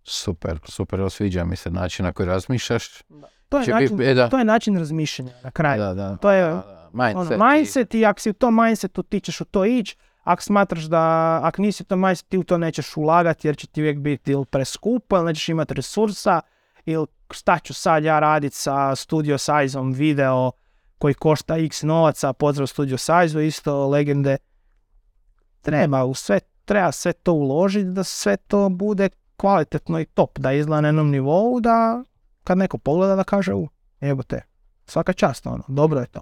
S2: Super, super, sviđa mi se način na koji razmišljaš.
S1: Da. To, je način,
S2: bi, da.
S1: to je način razmišljanja na kraju.
S2: Da, da.
S1: To je
S2: da, da. Mindset,
S1: ono, mindset i... i ako si u tom mindsetu ti ćeš u to ići. Ako smatraš da, ako nisi to mindset, ti u to nećeš ulagati jer će ti uvijek biti ili preskupo, ili nećeš imati resursa, ili šta ću sad ja raditi sa Studio Size-om video koji košta x novaca, pozdrav Studio Size-u, isto legende. Treba, u sve, treba sve to uložiti da sve to bude kvalitetno i top, da izgleda na jednom nivou, da kad neko pogleda da kaže, u, jebote, svaka čast, ono, dobro je to.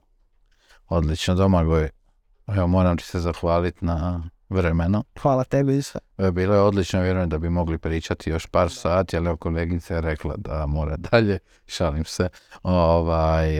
S2: Odlično, Domagoj. Evo, moram ti se zahvaliti na vremenu.
S1: Hvala tebi i sve.
S2: Bilo je odlično, vjerujem da bi mogli pričati još par sati, ali evo, kolegica je rekla da mora dalje, šalim se. Ovaj,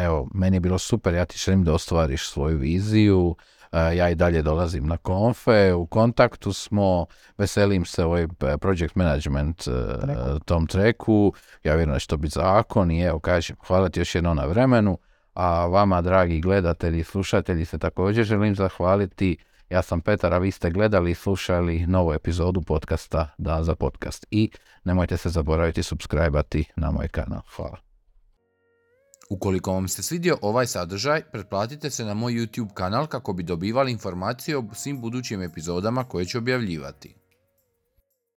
S2: evo, meni je bilo super, ja ti želim da ostvariš svoju viziju, ja i dalje dolazim na konfe, u kontaktu smo, veselim se ovoj project management Treku. tom treku, ja vjerujem da će to biti zakon i evo, kažem, hvala ti još jednom na vremenu. A vama, dragi gledatelji i slušatelji, se također želim zahvaliti. Ja sam Petar, a vi ste gledali i slušali novu epizodu podcasta Da za podcast. I nemojte se zaboraviti subscribe-ati na moj kanal. Hvala.
S3: Ukoliko vam se svidio ovaj sadržaj, pretplatite se na moj YouTube kanal kako bi dobivali informacije o svim budućim epizodama koje ću objavljivati.